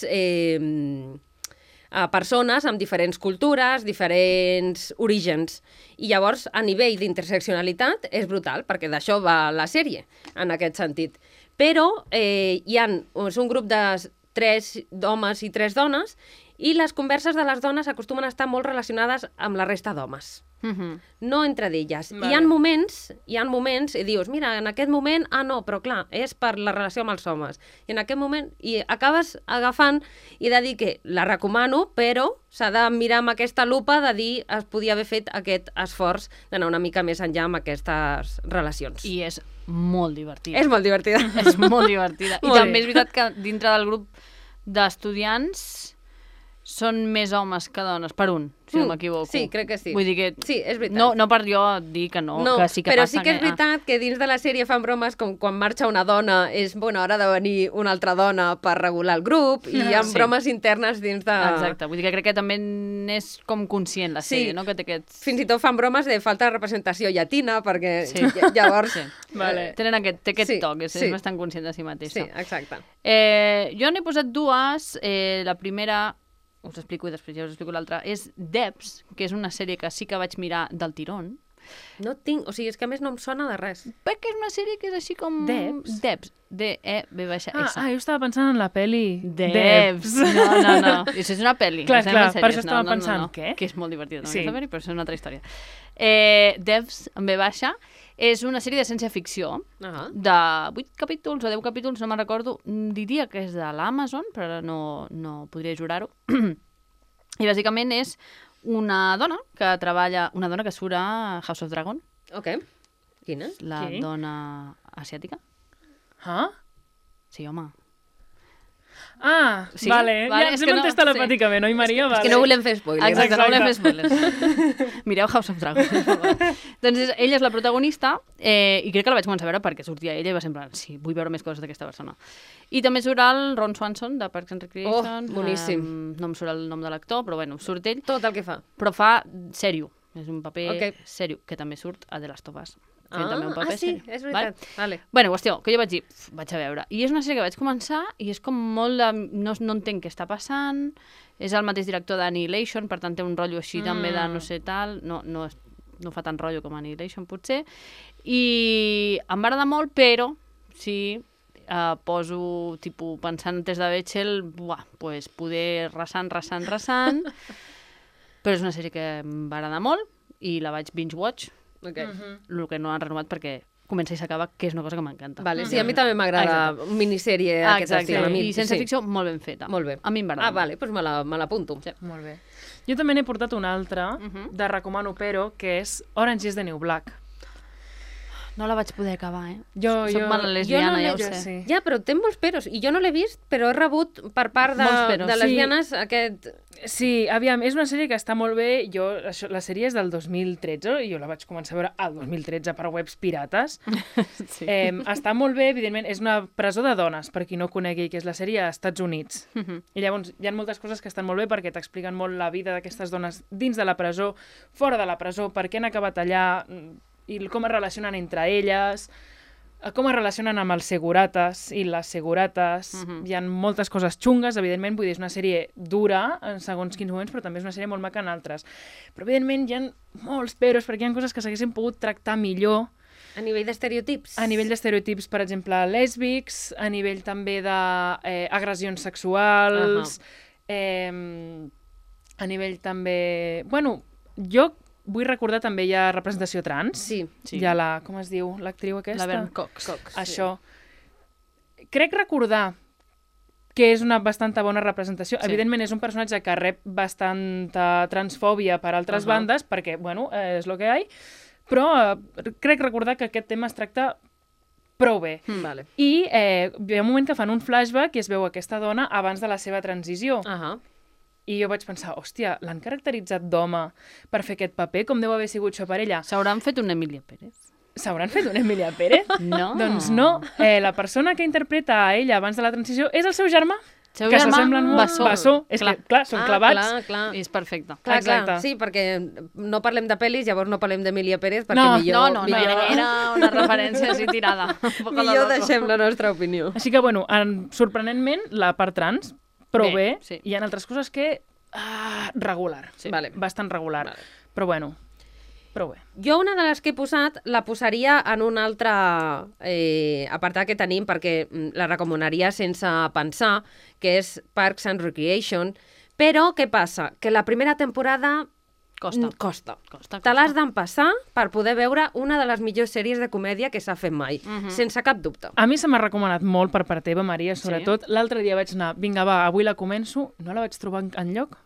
persones amb diferents cultures, diferents orígens. I llavors, a nivell d'interseccionalitat, és brutal, perquè d'això va la sèrie, en aquest sentit. Però és un grup de 3 homes i 3 dones, i les converses de les dones acostumen a estar molt relacionades amb la resta d'homes. No entre d'elles. Vale. Hi ha moments, i dius, mira, en aquest moment, no, però clar, és per la relació amb els homes. I en aquest moment, i acabes agafant i de dir que la recomano, però s'ha de mirar amb aquesta lupa de dir es podia haver fet aquest esforç d'anar una mica més enllà amb aquestes relacions. I és molt divertida. És molt divertida. És molt divertida. I també és veritat que dintre del grup d'estudiants són més homes que dones, per un, si no m'equivoco. Sí, crec que sí. Vull dir que... Sí, és veritat. No per jo dir que no, que sí que però passa. Però sí que és veritat que dins de la sèrie fan bromes com quan marxa una dona és, bueno, ara ha de venir una altra dona per regular el grup, i hi ha bromes internes dins de... Exacte, vull dir que crec que també és com conscient la sèrie, no? Que té aquests... Fins i tot fan bromes de falta de representació llatina, perquè llavors... Vale. Té aquest toc, és bastant conscient de si mateixa. Sí, exacte. Jo n'he posat 2, la primera... us explico i després ja us explico l'altra, és Debs, que és una sèrie que sí que vaig mirar del tirón. No tinc, o sigui, és que a més no em sona de res. Perquè és una sèrie que és així com... Debs? Debs, D-E-B-S. Jo estava pensant en la peli Debs. No. Això és una pel·li. Clar, per això estava pensant, què? Que és molt divertida, aquesta pel·li, però és una altra història. Debs, amb B baixa, és una sèrie de ciència-ficció de 8 capítols o 10 capítols, no me'n recordo. Diria que és de l'Amazon, però no podria jurar-ho. I bàsicament és una dona que treballa... Una dona que surt a House of Dragon. Ok. Quina? La dona asiàtica. Sí, home. Sí? Vale. Ja ens hem entès telepàticament, oi, Maria? És que no volem fer spoilers. Exacte, no volem fer spoilers. Mireu House of Dragon. Doncs ella és la protagonista i crec que la vaig començar a veure perquè sortia ella i va semblar, sí, vull veure més coses d'aquesta persona. I també surt el Ron Swanson, de Parks and Recreation. Boníssim. No em surt el nom de l'actor, però bueno, surt ell. Tot el que fa. Però fa sèrio. És un paper sèrio, que també surt a The Last of Us. També un paper sí, és veritat. Vale. Bueno, qüestió, que jo vaig dir, vaig a veure. I és una sèrie que vaig començar i és com molt de... No entenc què està passant. És el mateix director d'Annihilation, per tant té un rotllo així també de no sé tal. No fa tant rotllo com Annihilation, potser. I em va agradar molt, però sí... poso, tipus, pensant en test de Bechdel, pues poder rasant, però és una sèrie que em va agradar molt i la vaig binge-watch, el que no han renovat perquè comença i s'acaba, que és una cosa que m'encanta. Vale, sí, a mi també m'agrada minissèrie aquest estil. I sense ficció, molt ben feta. Molt bé. A mi em va agradar. Vale, doncs me l'apunto. Sí. Molt bé. Jo també n'he portat una altra, de recomano però, que és Orange is the New Black. No la vaig poder acabar, Soc mala lesbiana, ja ho sé. Sí. Ja, però té molts peros. I jo no l'he vist, però he rebut per part de lesbianes aquest... Sí, aviam, és una sèrie que està molt bé. La sèrie és del 2013 i jo la vaig començar a veure al 2013 per webs pirates. Sí. Està molt bé, evidentment. És una presó de dones, per qui no conegui, que és la sèrie als Estats Units. I llavors hi ha moltes coses que estan molt bé perquè t'expliquen molt la vida d'aquestes dones dins de la presó, fora de la presó, per què han acabat allà i com es relacionen entre elles, com es relacionen amb els segurates i les segurates. Hi ha moltes coses xungues, evidentment, vull dir, és una sèrie dura en segons quins moments, però també és una sèrie molt maca en altres. Però, evidentment, hi ha molts peros, perquè hi ha coses que s'haguessin pogut tractar millor. A nivell d'estereotips? A nivell d'estereotips, per exemple, lèsbics, a nivell també d'agressions sexuals, a nivell també... Bueno, jo vull recordar també hi ha representació trans. Sí. Hi ha com es diu, l'actriu aquesta? La Vern Cox. Això. Crec recordar que és una bastanta bona representació. Sí. Evidentment és un personatge que rep bastanta transfòbia per altres bandes, perquè, bueno, és el que hi ha, però crec recordar que aquest tema es tracta prou bé. Vale. I hi ha un moment que fan un flashback i es veu aquesta dona abans de la seva transició. I jo vaig pensar, hòstia, l'han caracteritzat d'home per fer aquest paper? Com deu haver sigut això per ella? S'hauran fet una Emilia Pérez? S'hauran fet una Emilia Pérez? No. Doncs no. La persona que interpreta a ella abans de la transició és el seu germà. Seu que germà, s'assemblen molt. Bessó. És que, clar, són clavats. Clar. És perfecte. Clar, sí, perquè no parlem de pel·lis, llavors no parlem d'Emilia Pérez, perquè No, era una referència així tirada. Millor deixem la nostra opinió. Així que, bueno, sorprenentment, la part trans, prou bé. Sí. Hi ha altres coses que... regular. Sí. Vale. Bastant regular. Vale. Però, bueno, prou bé. Jo una de les que he posat la posaria en un altre apartat que tenim, perquè la recomanaria sense pensar, que és Parks and Recreation. Però què passa? Que la primera temporada costa. Te l'has d'empassar per poder veure una de les millors sèries de comèdia que s'ha fet mai, sense cap dubte. A mi se m'ha recomanat molt per part teva, Maria, sobretot. Sí. L'altre dia vaig anar, vinga, va, avui la començo, no la vaig trobar enlloc.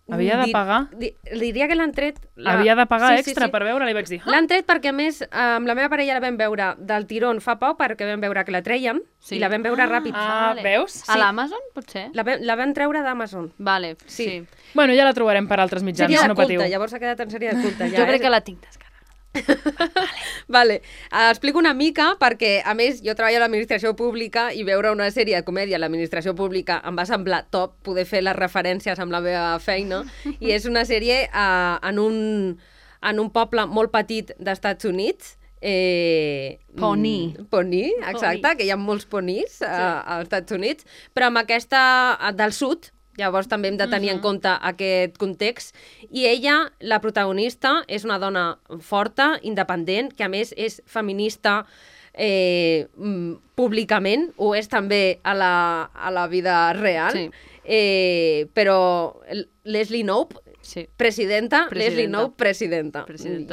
Havia de pagar. Diria que l'han tret... Havia de pagar extra per veure-la i vaig dir... L'han tret perquè, a més, amb la meva parella la vam veure del tirón fa poc, perquè vam veure que la treien, i la vam veure ràpid. Veus? A l'Amazon, potser? La vam treure d'Amazon. Vale, sí. Bueno, ja la trobarem per altres mitjans, no patiu. Llavors ha quedat en sèrie de culte. Jo crec que la tinc descarregada. Vale. Explico una mica perquè, a més, jo treballo a l'administració pública i veure una sèrie de comèdia a l'administració pública em va semblar top poder fer les referències amb la meva feina i és una sèrie en un poble molt petit d'Estats Units. Pony, exacte, que hi ha molts ponís als Estats Units, però amb aquesta del sud. Llavors també hem de tenir en compte aquest context. I ella, la protagonista, és una dona forta, independent, que a més és feminista públicament, ho és també a la vida real. Sí. Però Leslie Knope, presidenta. Leslie Knope, presidenta.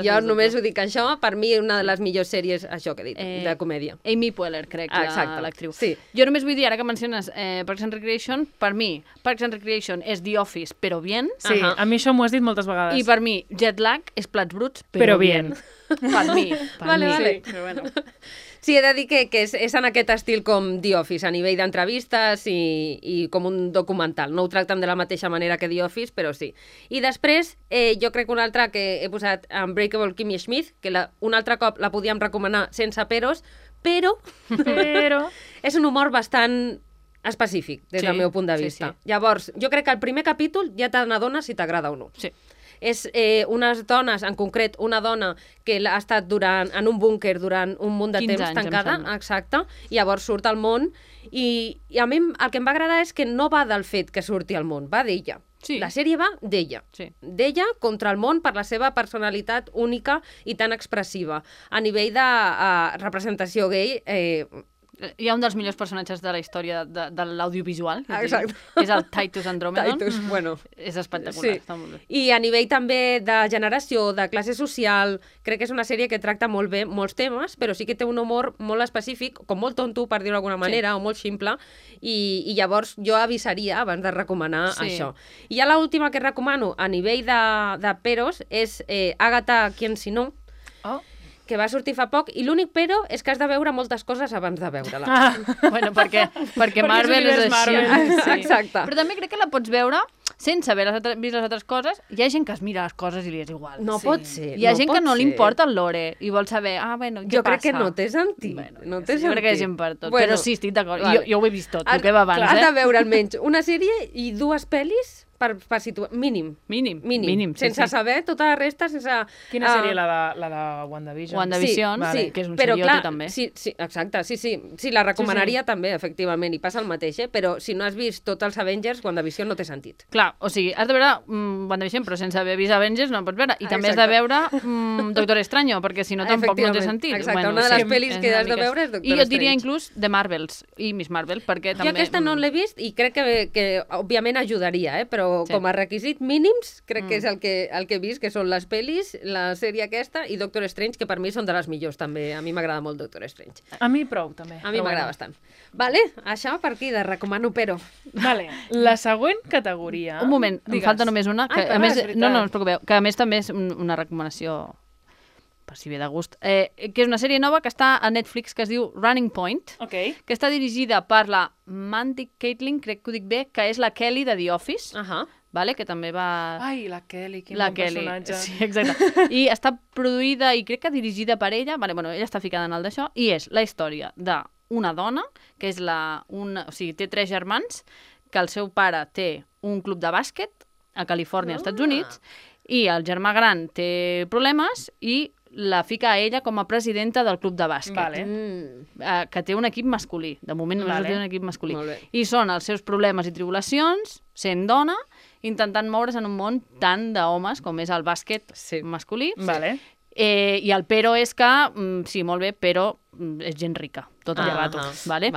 Jo només ho dic això, per mi una de les millors sèries, això que he dit, de comèdia. Amy Poehler, crec, l'actriu. Sí. Jo només vull dir, ara que menciones Parks and Recreation, per mi, Parks and Recreation és The Office, però bien. Sí, a mi això m'ho has dit moltes vegades. I per mi, Jet Lag és Plats Bruts, però bien. Per mi. Vale. Sí, però bueno. Sí, he de dir que és en aquest estil com The Office, a nivell d'entrevistes i com un documental. No ho tracten de la mateixa manera que The Office, però sí. I després, jo crec que una altra que he posat, Unbreakable Kimmy Schmidt, que un altre cop la podíem recomanar sense peros, però és un humor bastant específic, des del meu punt de vista. Sí. Llavors, jo crec que el primer capítol ja te n'adones si t'agrada o no. Sí. És unes dones, en concret una dona que ha estat en un búnquer durant un munt de temps tancada, exacte, i llavors surt al món i a mi el que em va agradar és que no va del fet que surti al món, va d'ella. Sí. La sèrie va d'ella. Sí. D'ella contra el món per la seva personalitat única i tan expressiva. A nivell de representació gay, hi ha un dels millors personatges de la història de l'audiovisual, exacte, és el Titus Andromedon. És espectacular, sí. Està molt bé. I a nivell també de generació, de classe social, crec que és una sèrie que tracta molt bé molts temes, però sí que té un humor molt específic, com molt tonto, per dir-ho d'alguna manera, o molt simple, i llavors jo avisaria abans de recomanar això. I ja l'última que recomano a nivell de peros és Agatha Quien si no, que va sortir fa poc, i l'únic però és que has de veure moltes coses abans de veure-la. Bueno, perquè Marvel és així. Sí. Exacte. Però també crec que la pots veure sense haver vist les altres coses. Hi ha gent que es mira les coses i li és igual. No pot ser. Hi ha gent que no li importa el lore i vol saber, bueno, què passa? Jo crec que no té sentit. Jo crec que hi ha gent per tot. Però sí, estic d'acord. Vale. Jo ho he vist tot, el que va abans. Has de veure almenys una sèrie i 2 pel·lis per situar... Mínim. Sense saber tota la resta, sense... Quina seria la de WandaVision? WandaVision, que és un seriote també. Sí, exacte, sí, la recomanaria també, efectivament, i passa el mateix, però si no has vist tots els Avengers, WandaVision no té sentit. Clar, o sigui, has de veure WandaVision, però sense haver vist Avengers no en pots veure. I també has de veure Doctor Extraño, perquè si no tampoc no té sentit. Exacte, una de les pel·lis que has de veure és Doctor Strange. I jo diria inclús The Marvels i Miss Marvel, perquè també... Jo aquesta no l'he vist i crec que òbviament ajudaria, però com a requisit mínims, crec que és el que he vist, que són les pel·lis, la sèrie aquesta i Doctor Strange, que per mi són de les millors també. A mi m'agrada molt Doctor Strange. A mi prou, també. A mi m'agrada bastant. Vale, això per aquí, de recomano però. Vale, la següent categoria... Un moment, em falta només una, que a més... No us preocupeu, que a més també és una recomanació per si ve de gust, que és una sèrie nova que està a Netflix que es diu Running Point, que està dirigida per la Mandy Caitlin, crec que ho dic bé, que és la Kelly de The Office, vale? Que també va... Ai, la Kelly, quin bon personatge. Sí, exacte. I està produïda i crec que dirigida per ella, vale, bueno, ella està ficada en el d'això, i és la història d'una dona, que és o sigui, té 3 germans, que el seu pare té un club de bàsquet a Califòrnia, als Estats Units, i el germà gran té problemes i la fica a ella com a presidenta del club de bàsquet, que té un equip masculí. De moment només té un equip masculí. I són els seus problemes i tribulacions, sent dona, intentant moure's en un món tant d'homes com és el bàsquet masculí. I el però és que, sí, molt bé, però és gent rica, tot el rato. Vale?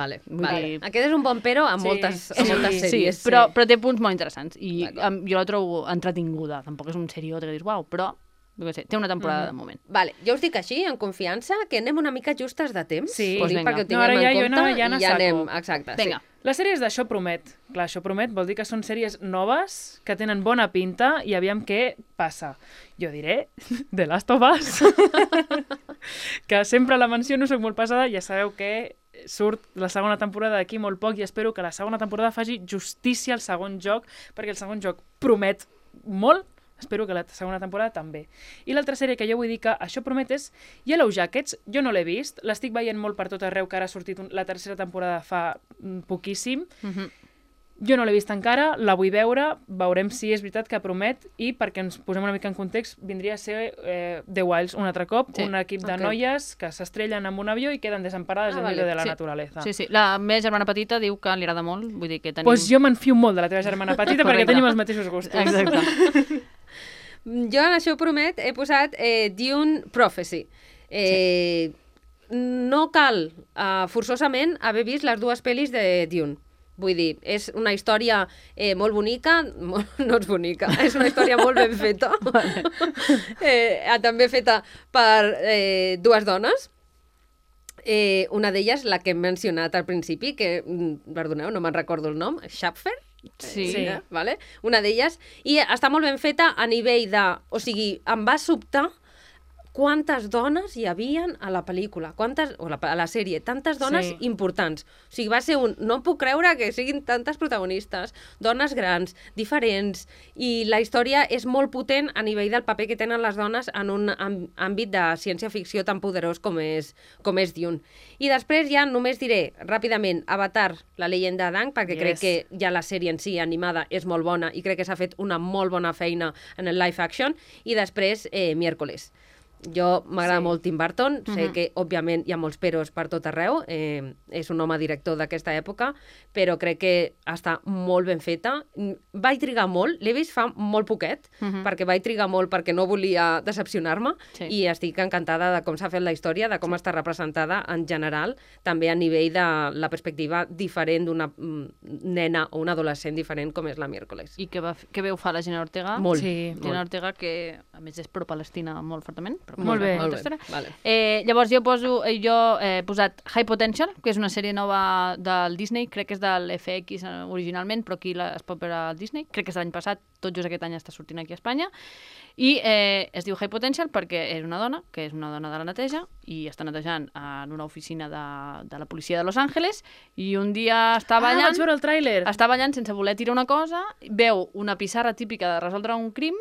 Aquest és un bon però a moltes sèries. Però té punts molt interessants i jo la trobo entretinguda. Tampoc és un seriós que dius, uau, però té una temporada de moment. Vale, jo us dic així, en confiança, que anem una mica justes de temps. Sí, doncs vinga. Perquè ho tinguem en compte i ja anem. Exacte. Vinga. Les sèries d'Això Promet. Clar, Això Promet vol dir que són sèries noves, que tenen bona pinta i aviam què passa. Jo diré The Last of Us. Que sempre la menciono, soc molt pesada, ja sabeu que surt la segona temporada d'aquí molt poc i espero que la segona temporada faci justícia al segon joc, perquè el segon joc promet molt. Espero que la segona temporada també. I l'altra sèrie que jo vull dir que Això Promet és Yellow Jackets. Jo no l'he vist, l'estic veient molt per tot arreu, que ara ha sortit la tercera temporada fa poquíssim. Jo no l'he vist encara, la vull veure, veurem si és veritat que promet, i perquè ens posem una mica en context, vindria a ser The Wilds un altre cop, un equip de noies que s'estrellen amb un avió i queden desemparades en medio de la naturaleza. Sí. La meva germana petita diu que li agrada molt, vull dir que tenim... Doncs jo m'enfio molt de la teva germana petita perquè tenim els mateixos gustos. Exacte. Jo en Això Promet he posat Dune Prophecy. No cal forçosament haver vist les 2 pel·lis de Dune. Vull dir, és una història molt bonica, no és bonica, és una història molt ben feta, també feta per 2 dones. Una d'elles, la que hem mencionat al principi, que, perdoneu, no me'n recordo el nom, Schaffer? Sí. Vale? Una d'elles. I està molt ben feta a nivell de... O sigui, em va sobtar quantes dones hi havien a la pel·lícula, a la sèrie, tantes dones importants. O sigui, va ser no puc creure que siguin tantes protagonistes, dones grans, diferents, i la història és molt potent a nivell del paper que tenen les dones en un àmbit de ciència-ficció tan poderós com és Dune. I després ja només diré ràpidament Avatar, la leyenda d'Aang, perquè crec que ja la sèrie en si animada és molt bona i crec que s'ha fet una molt bona feina en el live action, i després Miércoles. Jo m'agrada molt Tim Burton, sé que òbviament hi ha molts peros per tot arreu, és un home director d'aquesta època, però crec que està molt ben feta. Vaig trigar molt, l'he vist fa molt poquet, perquè vaig trigar molt perquè no volia decepcionar-me, i estic encantada de com s'ha fet la història, de com està representada en general, també a nivell de la perspectiva diferent d'una nena o una adolescent diferent com és la Miércoles. I què veu fa la Jenna Ortega? Molt. Jenna Ortega, que a més és pro-palestina molt fortament. però Molt bé. molta estona. Vale. Llavors jo he posat High Potential, que és una sèrie nova del Disney, crec que és del FX originalment, però aquí es pot veure al Disney, crec que és de l'any passat, tot just aquest any està sortint aquí a Espanya, i es diu High Potential perquè és una dona, que és una dona de la neteja, i està netejant en una oficina de la policia de Los Angeles, i un dia està ballant... vaig veure el tràiler! Està ballant sense voler tirar una cosa, veu una pissarra típica de resoldre un crim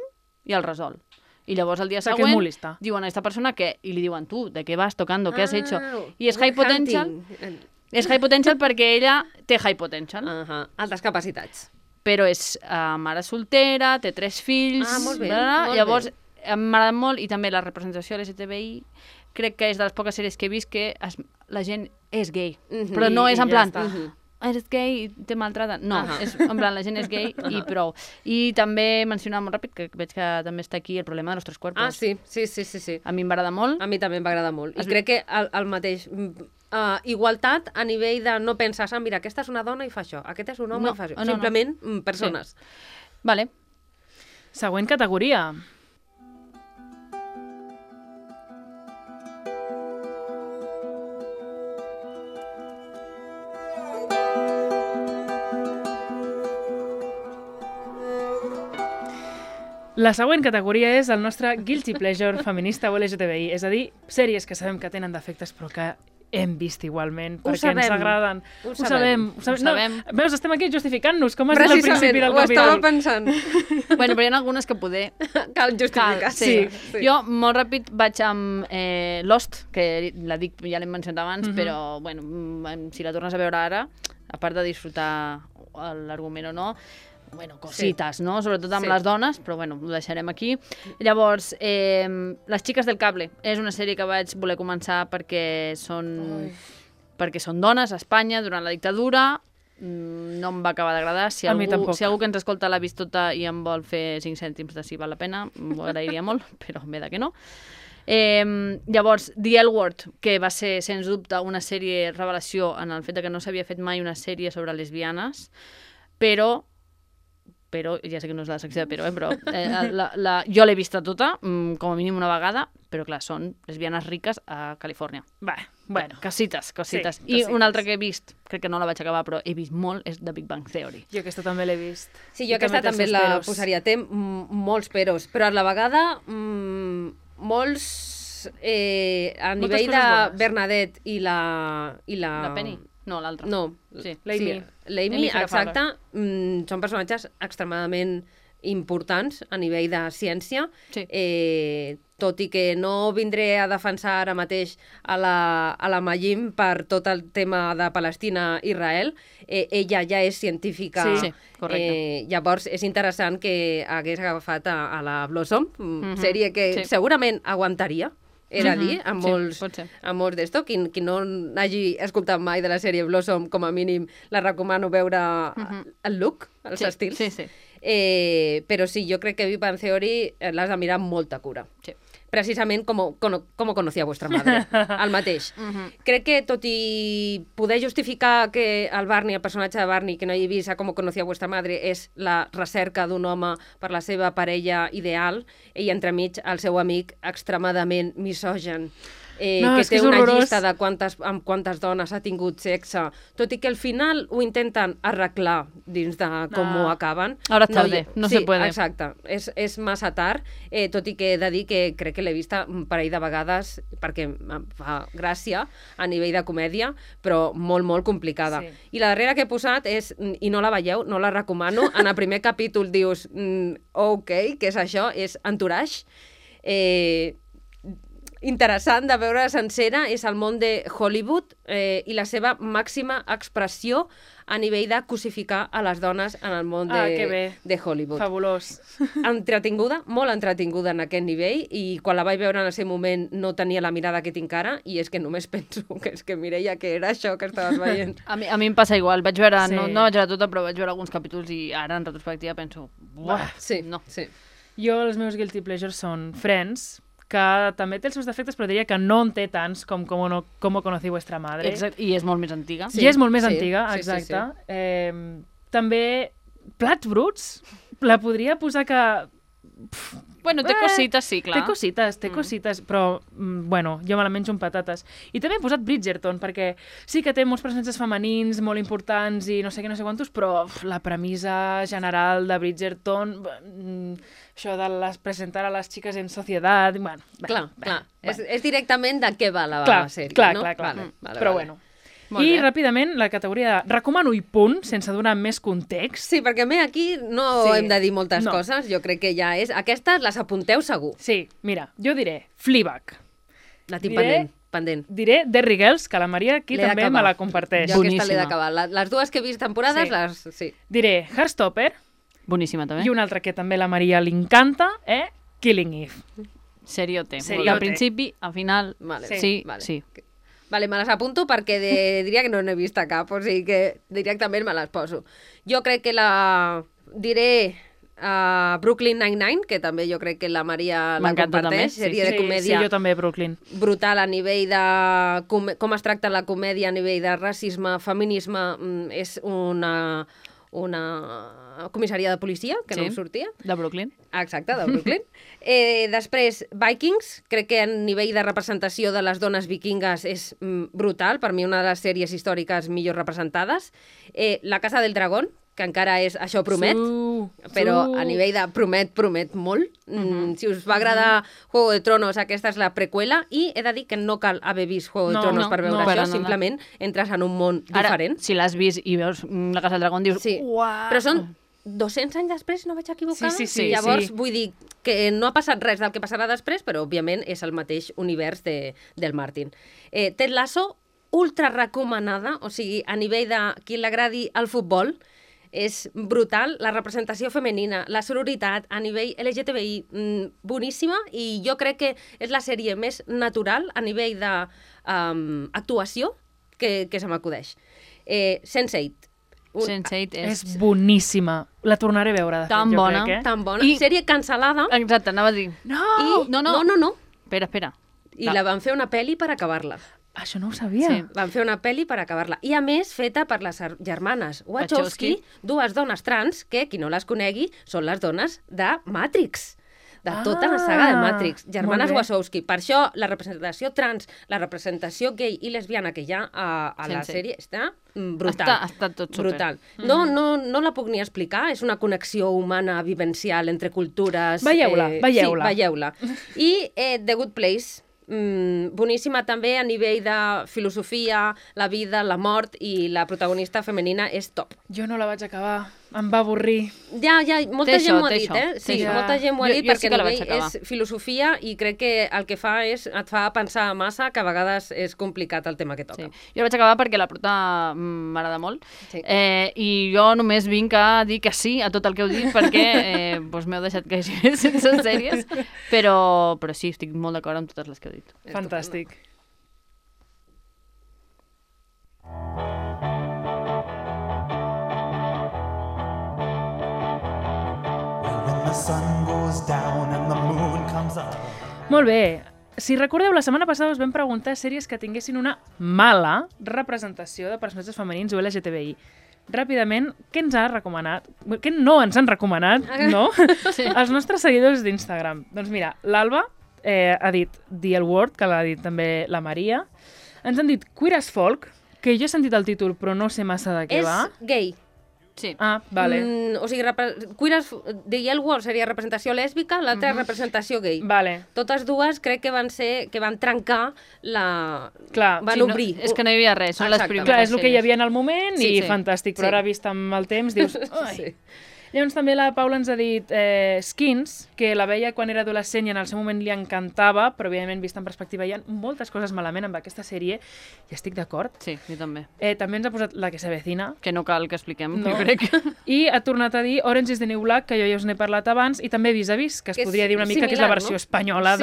i el resol. I llavors el dia que és següent molt lista. diuen a esta persona que, i li diuen, tu, ¿de qué vas tocando? ¿Qué has hecho? I és High Potential. És High Potential perquè ella té High Potential, Altres capacitats. però és mare soltera, té 3 fills... Molt bé, bla, molt llavors, bé. m'agrada molt, i també la representació LGTBI, crec que és de les poques sèries que he vist que la gent és gay, però no és en plan... Eres gay i te maltrata. No, és, en plan, la gent és gay i prou. I també mencionar molt ràpid, que veig que també està aquí el problema de los 3 cuerpos. Sí. A mi m'agrada molt. A mi també m'agrada molt. I crec que el mateix... igualtat a nivell de no pensar, mira, aquesta és una dona i fa això, aquest és un home i fa això. Simplement persones. Sí. Vale. Següent categoria. La següent categoria és el nostre guilty pleasure feminista o LGTBI, és a dir, sèries que sabem que tenen defectes però que hem vist igualment perquè ens agraden. Ho sabem. No, veus, estem aquí justificant-nos, com has dit al principi del capítol. Ho estava pensant. Bueno, però hi ha algunes que poder... Cal justificar. Sí. Jo, molt ràpid, vaig amb Lost, que la dic, ja l'hem mencionat abans, però, bueno, si la tornes a veure ara, a part de disfrutar l'argument o no, bueno, cosites, no? Sobretot amb les dones, però bueno, ho deixarem aquí. Llavors, Les xiques del cable és una sèrie que vaig voler començar perquè són dones a Espanya durant la dictadura. No em va acabar d'agradar. Si algú que ens escolta l'ha vist tota i em vol fer 5 cèntims de si val la pena, m'ho agrairia molt, però em ve que no. Llavors, The L Word, que va ser, sens dubte, una sèrie revelació en el fet que no s'havia fet mai una sèrie sobre lesbianes, però ja sé que no és la secció de però jo l'he vista tota, com a mínim una vegada, però clar, són lesbianes riques a Califòrnia. Bueno. Cosites. Sí, I una altra que he vist, crec que no la vaig acabar, però he vist molt, és The Big Bang Theory. Jo aquesta també l'he vist. Sí, jo aquesta també la posaria. Té molts peros, però a la vegada molts... a nivell de Bernadette i la... La Penny? No, l'altra. No, sí. L'Amy, exacte, són personatges extremadament importants a nivell de ciència, tot i que no vindré a defensar ara mateix a la Mayim per tot el tema de Palestina-Israel, ella ja és científica. Sí, correcte. Llavors és interessant que hagués agafat a la Blossom, sèrie que segurament aguantaria, era dir, amb molts d'esto. Qui no hagi escoltat mai de la sèrie Blossom, com a mínim la recomano veure el look, els estils. Sí. Però sí, jo crec que Big Bang Theory l'has de mirar amb molta cura. Sí. Precisament com conocía vuestra madre, el mateix. Crec que, tot i poder justificar que el Barney, el personatge de Barney, que no hagi vist com conocía vuestra madre, és la recerca d'un home per la seva parella ideal, i entremig el seu amic extremadament misògen, que té una llista de quantes dones ha tingut sexe, tot i que al final ho intenten arreglar dins de com ho acaben. Ahora tarde, no se puede. Exacte, és massa tard, tot i que he de dir que crec que l'he vista un parell de vegades perquè em fa gràcia a nivell de comèdia, però molt, molt complicada. I la darrera que he posat és, i no la veieu, no la recomano, en el primer capítol dius, ok, què és això? És Entourage. Interessant de veure sencera, és el món de Hollywood i la seva màxima expressió a nivell de cosificar a les dones en el món de Hollywood. Fabulós. Entretinguda, molt entretinguda en aquest nivell, i quan la vaig veure en el seu moment no tenia la mirada que tinc ara, i és que només penso que és que Mireia, que era això que estaves veient. A mi em passa igual, vaig veure, no vaig veure tota, però vaig veure alguns capítols i ara en retrospectiva penso, no. Jo, els meus guilty pleasures són Friends, que també té els seus defectes, però diria que no en té tants com Cómo conocí vuestra madre. Exacte, i és molt més antiga. I és molt més antiga, exacte. També Plats bruts, la podria posar que... Bueno, té cosites, sí, clar. Té cosites, però, bueno, jo me la menjo amb patates. I també he posat Bridgerton, perquè sí que té molts personatges femenins molt importants i no sé què, no sé quantos, però la premissa general de Bridgerton, això de presentar a les xiques en societat... Bueno, clar. És directament de què va la sèrie, no? Clar. Vale, però bueno. I ràpidament la categoria de recomano i punt, sense donar més context. Sí, perquè aquí no hem de dir moltes coses, jo crec que ja és... Aquestes les apunteu segur. Sí, mira, jo diré Fleabag. La tinc pendent. Diré Derry Girls, que la Maria aquí també me la comparteix. Jo aquesta l'he d'acabar. Les dues que he vist temporades, sí. Diré Heartstopper. Boníssima, també. I una altra que també la Maria li encanta, Killing Eve. Seriote. Al principi, al final... Sí. Vale, me les apunto perquè diria que no n'he vist cap, o sigui que directament me les poso. Jo crec que diré Brooklyn Nine-Nine, que també jo crec que la Maria la comparteix, sèrie de comèdia. Sí, jo també, Brooklyn. Brutal a nivell de com es tracta la comèdia, a nivell de racisme, feminisme, és una comissaria de policia, que no em sortia. De Brooklyn. Exacte, de Brooklyn. Després, Vikings, crec que a nivell de representació de les dones vikingues és brutal, per mi una de les sèries històriques millor representades. La Casa del Dragón, que encara és això promet, però a nivell de promet molt. Si us va agradar Juego de Tronos, aquesta és la preqüela, i he de dir que no cal haver vist Juego de Tronos per veure això, simplement entres en un món diferent. Ara, si l'has vist i veus la Casa del Dragón, dius, uau! Però són 200 anys després, no vaig equivocar? Sí. Llavors, vull dir que no ha passat res del que passarà després, però, òbviament, és el mateix univers del Martin. Ted Lasso, ultra recomanada, o sigui, a nivell de qui l'agradi el futbol, és brutal, la representació femenina, la sororitat a nivell LGTBI, boníssima, i jo crec que és la sèrie més natural a nivell d'actuació que se m'acudeix. Sense8. Sense8 és boníssima. La tornaré a veure, de fet, tan jo bona. crec, Tan bona. Sèrie cancel·lada. Exacte, anava a dir. No. Espera. I la van fer una pel·li per acabar-la. Això no ho sabia. Sí, van fer una pel·li per acabar-la. I, a més, feta per les germanes Wachowski, dues dones trans, que, qui no les conegui, són les dones de Matrix. De tota la saga de Matrix. Germanes Wachowski. Per això, la representació trans, la representació gay i lesbiana que hi ha a la sèrie està brutal. Ha estat tot super. Brutal. No la puc ni explicar. És una connexió humana, vivencial, entre cultures. Veieu-la. Sí, veieu-la. I The Good Place, boníssima també a nivell de filosofia, la vida, la mort, i la protagonista femenina és top. Jo no la vaig acabar, em va avorrir. Ja, molta gent m'ho ha dit, Sí, molta gent m'ho ha dit perquè a nivell és filosofia i crec que el que fa és et fa pensar massa, que a vegades és complicat el tema que toca. Sí. Jo la vaig acabar perquè la prota m'agrada molt, i jo només vinc a dir que sí a tot el que heu dit perquè m'heu deixat caure sense sèries, però sí, estic molt d'acord amb totes les que heu dit. Fantàstic. Molt bé. Si recordeu, la setmana passada us vam preguntar sèries que tinguessin una mala representació de personatges femenins o LGTBI. Ràpidament, què ens ha recomanat? Què no ens han recomanat, no? Sí. Els nostres seguidors d'Instagram. Doncs mira, l'Alba ha dit The L Word, que l'ha dit també la Maria. Ens han dit Queer as Folk, que jo he sentit el títol però no sé massa de què va. És gay. Sí. Ah, vale. O sigui, The Yellow Wall seria representació lèsbica, l'altra representació gay. Vale. Totes dues crec que van trencar la... Clar. Van obrir. És que no hi havia res, són les primeres. Clar, és el que hi havia en el moment i fantàstic, però ara vist amb el temps dius... Sí. Llavors també la Paula ens ha dit Skins, que la veia quan era adolescent i en el seu moment li encantava, però evidentment vist en perspectiva hi ha moltes coses malament amb aquesta sèrie i estic d'acord. Sí, jo també. També ens ha posat La que se avecina. Que no cal que expliquem, jo crec. I ha tornat a dir Orange is the New Black, que jo ja us n'he parlat abans, i també Vis a Vis, que es podria dir una mica que és la versió espanyola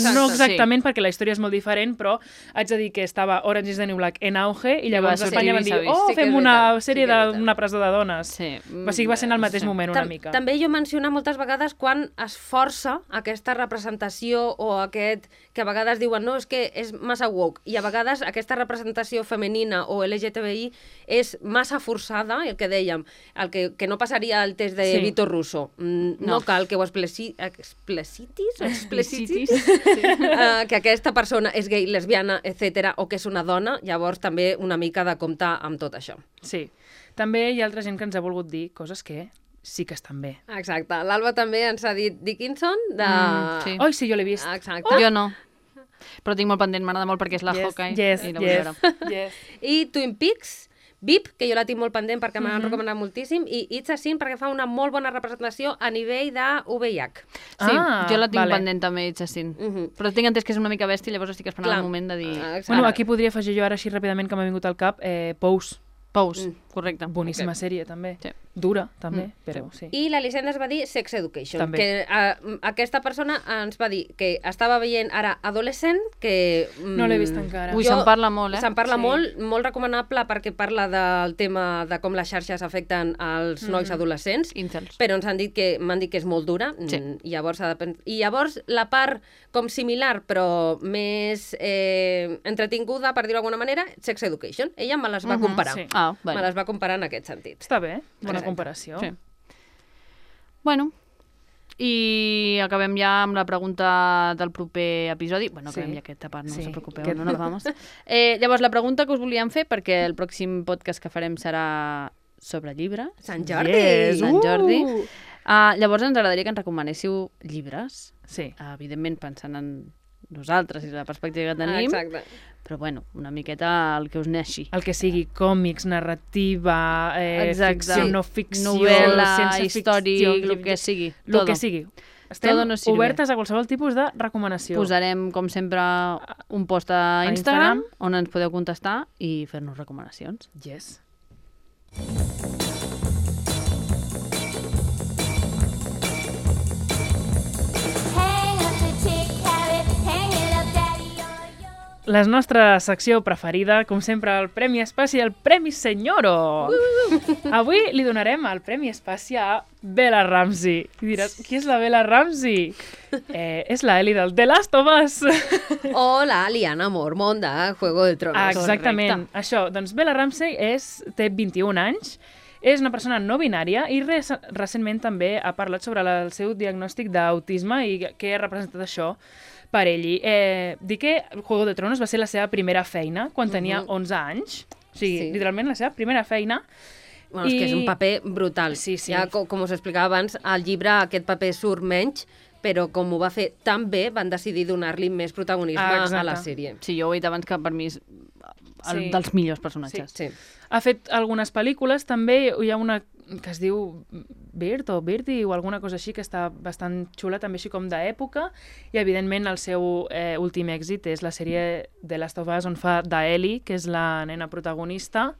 no exactament perquè la història és molt diferent, però haig de dir que estava Orange is the New Black en auge i llavors a Espanya van dir fem una sèrie d'una presó de dones. Sí. O sigui, va ser en el mateix moment. moment una mica. També jo menciono moltes vegades quan es força aquesta representació o aquest que a vegades diuen no, és que és massa woke, i a vegades aquesta representació femenina o LGTBI és massa forçada, el que dèiem, el que no passaria al test de Vito Russo. No cal que ho explicitis, que aquesta persona és gay, lesbiana, etc, o que és una dona, llavors també una mica de comptar amb tot això. Sí. També hi ha altra gent que ens ha volgut dir coses que sí que estan bé. Exacte. L'Alba també ens ha dit Dickinson de... Sí. Oi, sí, jo l'he vist. Exacte. Jo no. Però tinc molt pendent, m'agrada molt perquè és la Hawkeye. I la vull veure. I Twin Peaks, VIP, que jo la tinc molt pendent perquè m'han recomanat moltíssim, i It's a Sin perquè fa una molt bona representació a nivell de VIH. Sí, jo la tinc pendent també, It's a Sin. Però tinc entès que és una mica bèstia, llavors estic esperant el moment de dir... Bueno, aquí podria afegir jo ara així ràpidament que m'ha vingut al cap Pose. Pose, correcte. Boníssima sèrie, també. Sí. Dura, també, però sí. I l'Elisenda es va dir Sex Education, també. Que aquesta persona ens va dir que estava veient ara Adolescent, que... No l'he vist encara. Ui, se'n parla molt, Se'n parla molt recomanable perquè parla del tema de com les xarxes afecten als nois adolescents, Incels. però m'han dit que és molt dura, i llavors la part com similar però més entretinguda, per dir-ho d'alguna manera, Sex Education. Ella me les va comparar. Sí. Me les va comparar en aquest sentit. Està bé, bona comparació. Sí. Bueno, i acabem ja amb la pregunta del proper episodi. Bueno, acabem ja aquesta part, no us preocupeu, no nos vamos. Llavors, la pregunta que us volíem fer, perquè el pròxim podcast que farem serà sobre llibres. Sant Jordi! Sant Jordi. Llavors ens agradaria que ens recomanéssiu llibres. Sí. Evidentment pensant en nosaltres i la perspectiva que tenim. Exacte. Però bueno, una miqueta el que us neixi. El que sigui còmics, narrativa, ficció, no ficció, novel·la, ciència històric, ficció, el que sigui. El que sigui. Estem obertes a qualsevol tipus de recomanació. Posarem, com sempre, un post a Instagram on ens podeu contestar i fer-nos recomanacions. Yes. La nostra secció preferida, com sempre, el Premi Espàcia, el Premi Senyoro. Avui li donarem el Premi Espàcia a Bella Ramsey. I diràs, qui és la Bella Ramsey? És la Ellie del The Last of Us. O la Lyanna Mormont de Juego de Tronos. Exactament. Això, doncs Bella Ramsey té 21 anys, és una persona no binària i recentment també ha parlat sobre el seu diagnòstic d'autisme i què ha representat això per ell. Dir que Juego de Tronos va ser la seva primera feina quan tenia 11 anys. O sigui, literalment la seva primera feina. Bueno, és que és un paper brutal. Sí. Ja, com us explicava abans, al llibre aquest paper surt menys, però com ho va fer tan bé, van decidir donar-li més protagonisme a la sèrie. Sí, jo ho he dit abans que per mi és dels millors personatges. Sí. Ha fet algunes pel·lícules, també hi ha una que es diu Bird o Birdie o alguna cosa així, que està bastant xula, també així com d'època, i evidentment el seu últim èxit és la sèrie The Last of Us, on fa d'Ellie, que és la nena protagonista,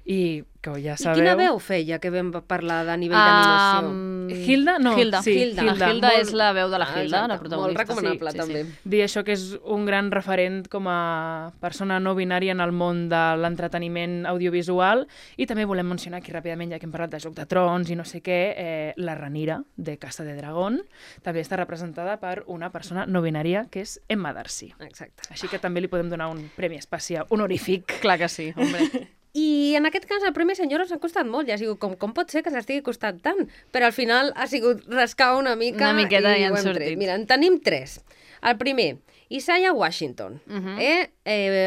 i que ja sabeu... I quina veu feia que vam parlar de nivell d'animació? Hilda? No. Hilda. Sí, Hilda és la veu de la Hilda, la protagonista. Molt recomanable, també. Dir això que és un gran referent com a persona no binària en el món de l'entreteniment audiovisual, i també volem mencionar aquí ràpidament, ja que hem parlat de Joc de Trons i no sé què, la Rhaenyra de Casa de Dragón també està representada per una persona no binària que és Emma Darcy. Exacte. Així que també li podem donar un premi especial honorífic. Clar que sí, hombre. I en aquest cas el Premi Senyora s'ha costat molt, ja ha sigut com pot ser que s'estigui costant tant? Però al final ha sigut rascar una mica una miqueta i ja ho han hem sortit. tret. Mira, en tenim 3. El primer, Isaiah Washington,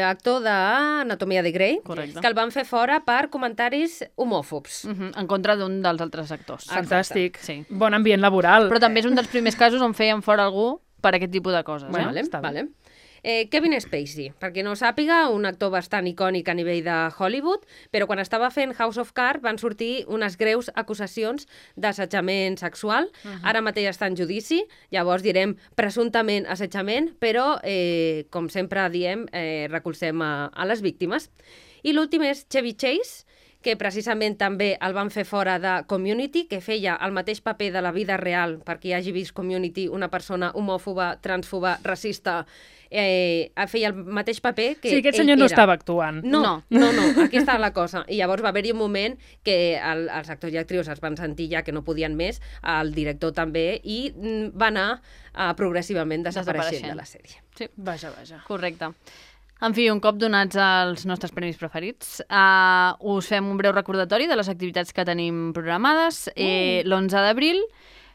actor d'Anatomia de Grey, Correcte. que el van fer fora per comentaris homòfobs. En contra d'un dels altres actors. Fantàstic. Sí. Bon ambient laboral. Però també és un dels primers casos on feien fora algú per aquest tipus de coses. Bueno, Vale, està bé. vale. Kevin Spacey, per qui no ho sàpiga, un actor bastant icònic a nivell de Hollywood, però quan estava fent House of Cards van sortir unes greus acusacions d'assetjament sexual. Ara mateix està en judici, llavors direm presumptament assetjament, però, com sempre diem, recolzem a les víctimes. I l'últim és Chevy Chase, que precisament també el van fer fora de Community, que feia el mateix paper de la vida real, per qui hagi vist Community, una persona homòfoba, transfoba, racista, feia el mateix paper que Sí, aquest ell senyor no era. estava actuant. No, aquí està la cosa. I llavors va haver-hi un moment que els actors i actrius es van sentir ja que no podien més, el director també, i va anar progressivament desapareixent de la sèrie. Sí, Vaja. correcte. En fi, un cop donats els nostres premis preferits, us fem un breu recordatori de les activitats que tenim programades. L'11 d'abril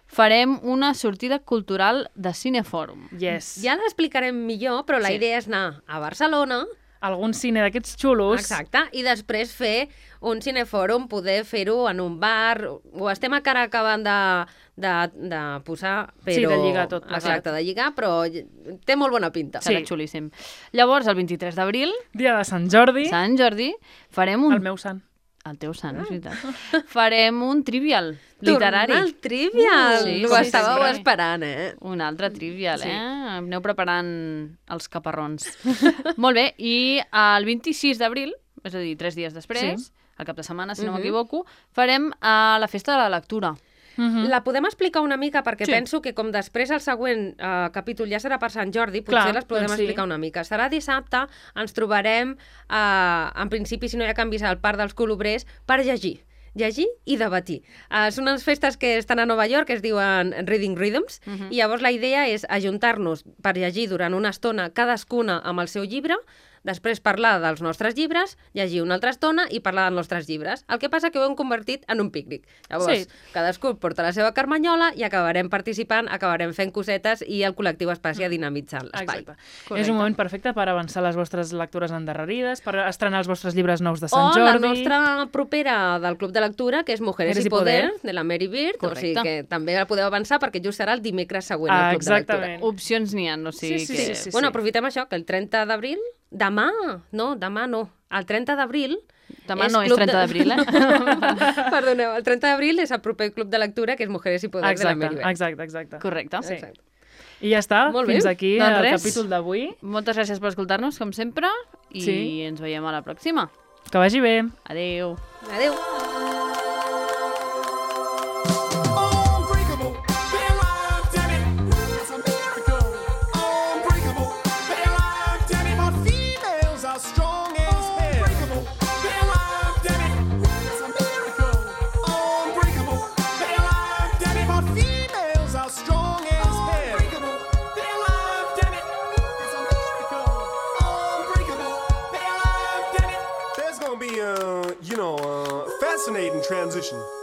farem una sortida cultural de Cinefòrum. Yes. Ja l'explicarem millor, però la idea és anar a Barcelona, Algun cine d'aquests xulos. exacte, i després fer un cinefòrum, poder fer-ho en un bar, ho estem encara acabant de posar, però... Sí, de lligar tot. Exacte, de lligar, però té molt bona pinta. Serà xulíssim. Llavors, el 23 d'abril, Dia de Sant Jordi. Sant Jordi, farem un... El meu sant. El teu sant, és veritat. Farem un trivial literari. Tornar al trivial! Sí, Ho sí, estàveu sempre. esperant, Un altre trivial, Aneu preparant els caparrons. Molt bé, i el 26 d'abril, és a dir, 3 dies després, al cap de setmana, si no m'equivoco, farem la festa de la lectura. La podem explicar una mica, perquè Sí. penso que com després el següent capítol ja serà per Sant Jordi, Clar, potser les podem doncs sí. explicar una mica. Serà dissabte, ens trobarem, en principi, si no hi ha canvis, al Parc dels Colobrers, per llegir i debatir. Són unes festes que estan a Nova York, que es diuen Reading Rhythms, i llavors la idea és ajuntar-nos per llegir durant una estona cadascuna amb el seu llibre, després parlar dels nostres llibres, llegir una altra estona i parlar dels nostres llibres. El que passa que ho hem convertit en un pícnic. Llavors, cadascú porta la seva carmanyola i acabarem participant, acabarem fent cosetes i el col·lectiu es passi a dinamitzar l'espai. Exacte. És un moment perfecte per avançar les vostres lectures endarrerides, per estrenar els vostres llibres nous de Sant O Jordi. la nostra propera del Club de Lectura, que és Mujeres y Poder, de la Mary Beard, o sigui que també la podeu avançar perquè just serà el dimecres següent al Club de Lectura. Exactament. Opcions n'hi ha, o sigui que... Sí. Bueno, aprofitem això, que el 30 d'abril, demà no, el 30 d'abril... Demà no és 30 d'abril, Perdoneu, el 30 d'abril és el proper Club de Lectura, que és Mujeres y Poder de la Mary Beard. Exacte. Correcte. Sí. Exacte. I ja està, Molt bé. fins aquí Doncs el res. capítol d'avui. Moltes gràcies per escoltar-nos, com sempre, i ens veiem a la pròxima. Que vagi bé. Adéu. Adéu. Fascinating transition.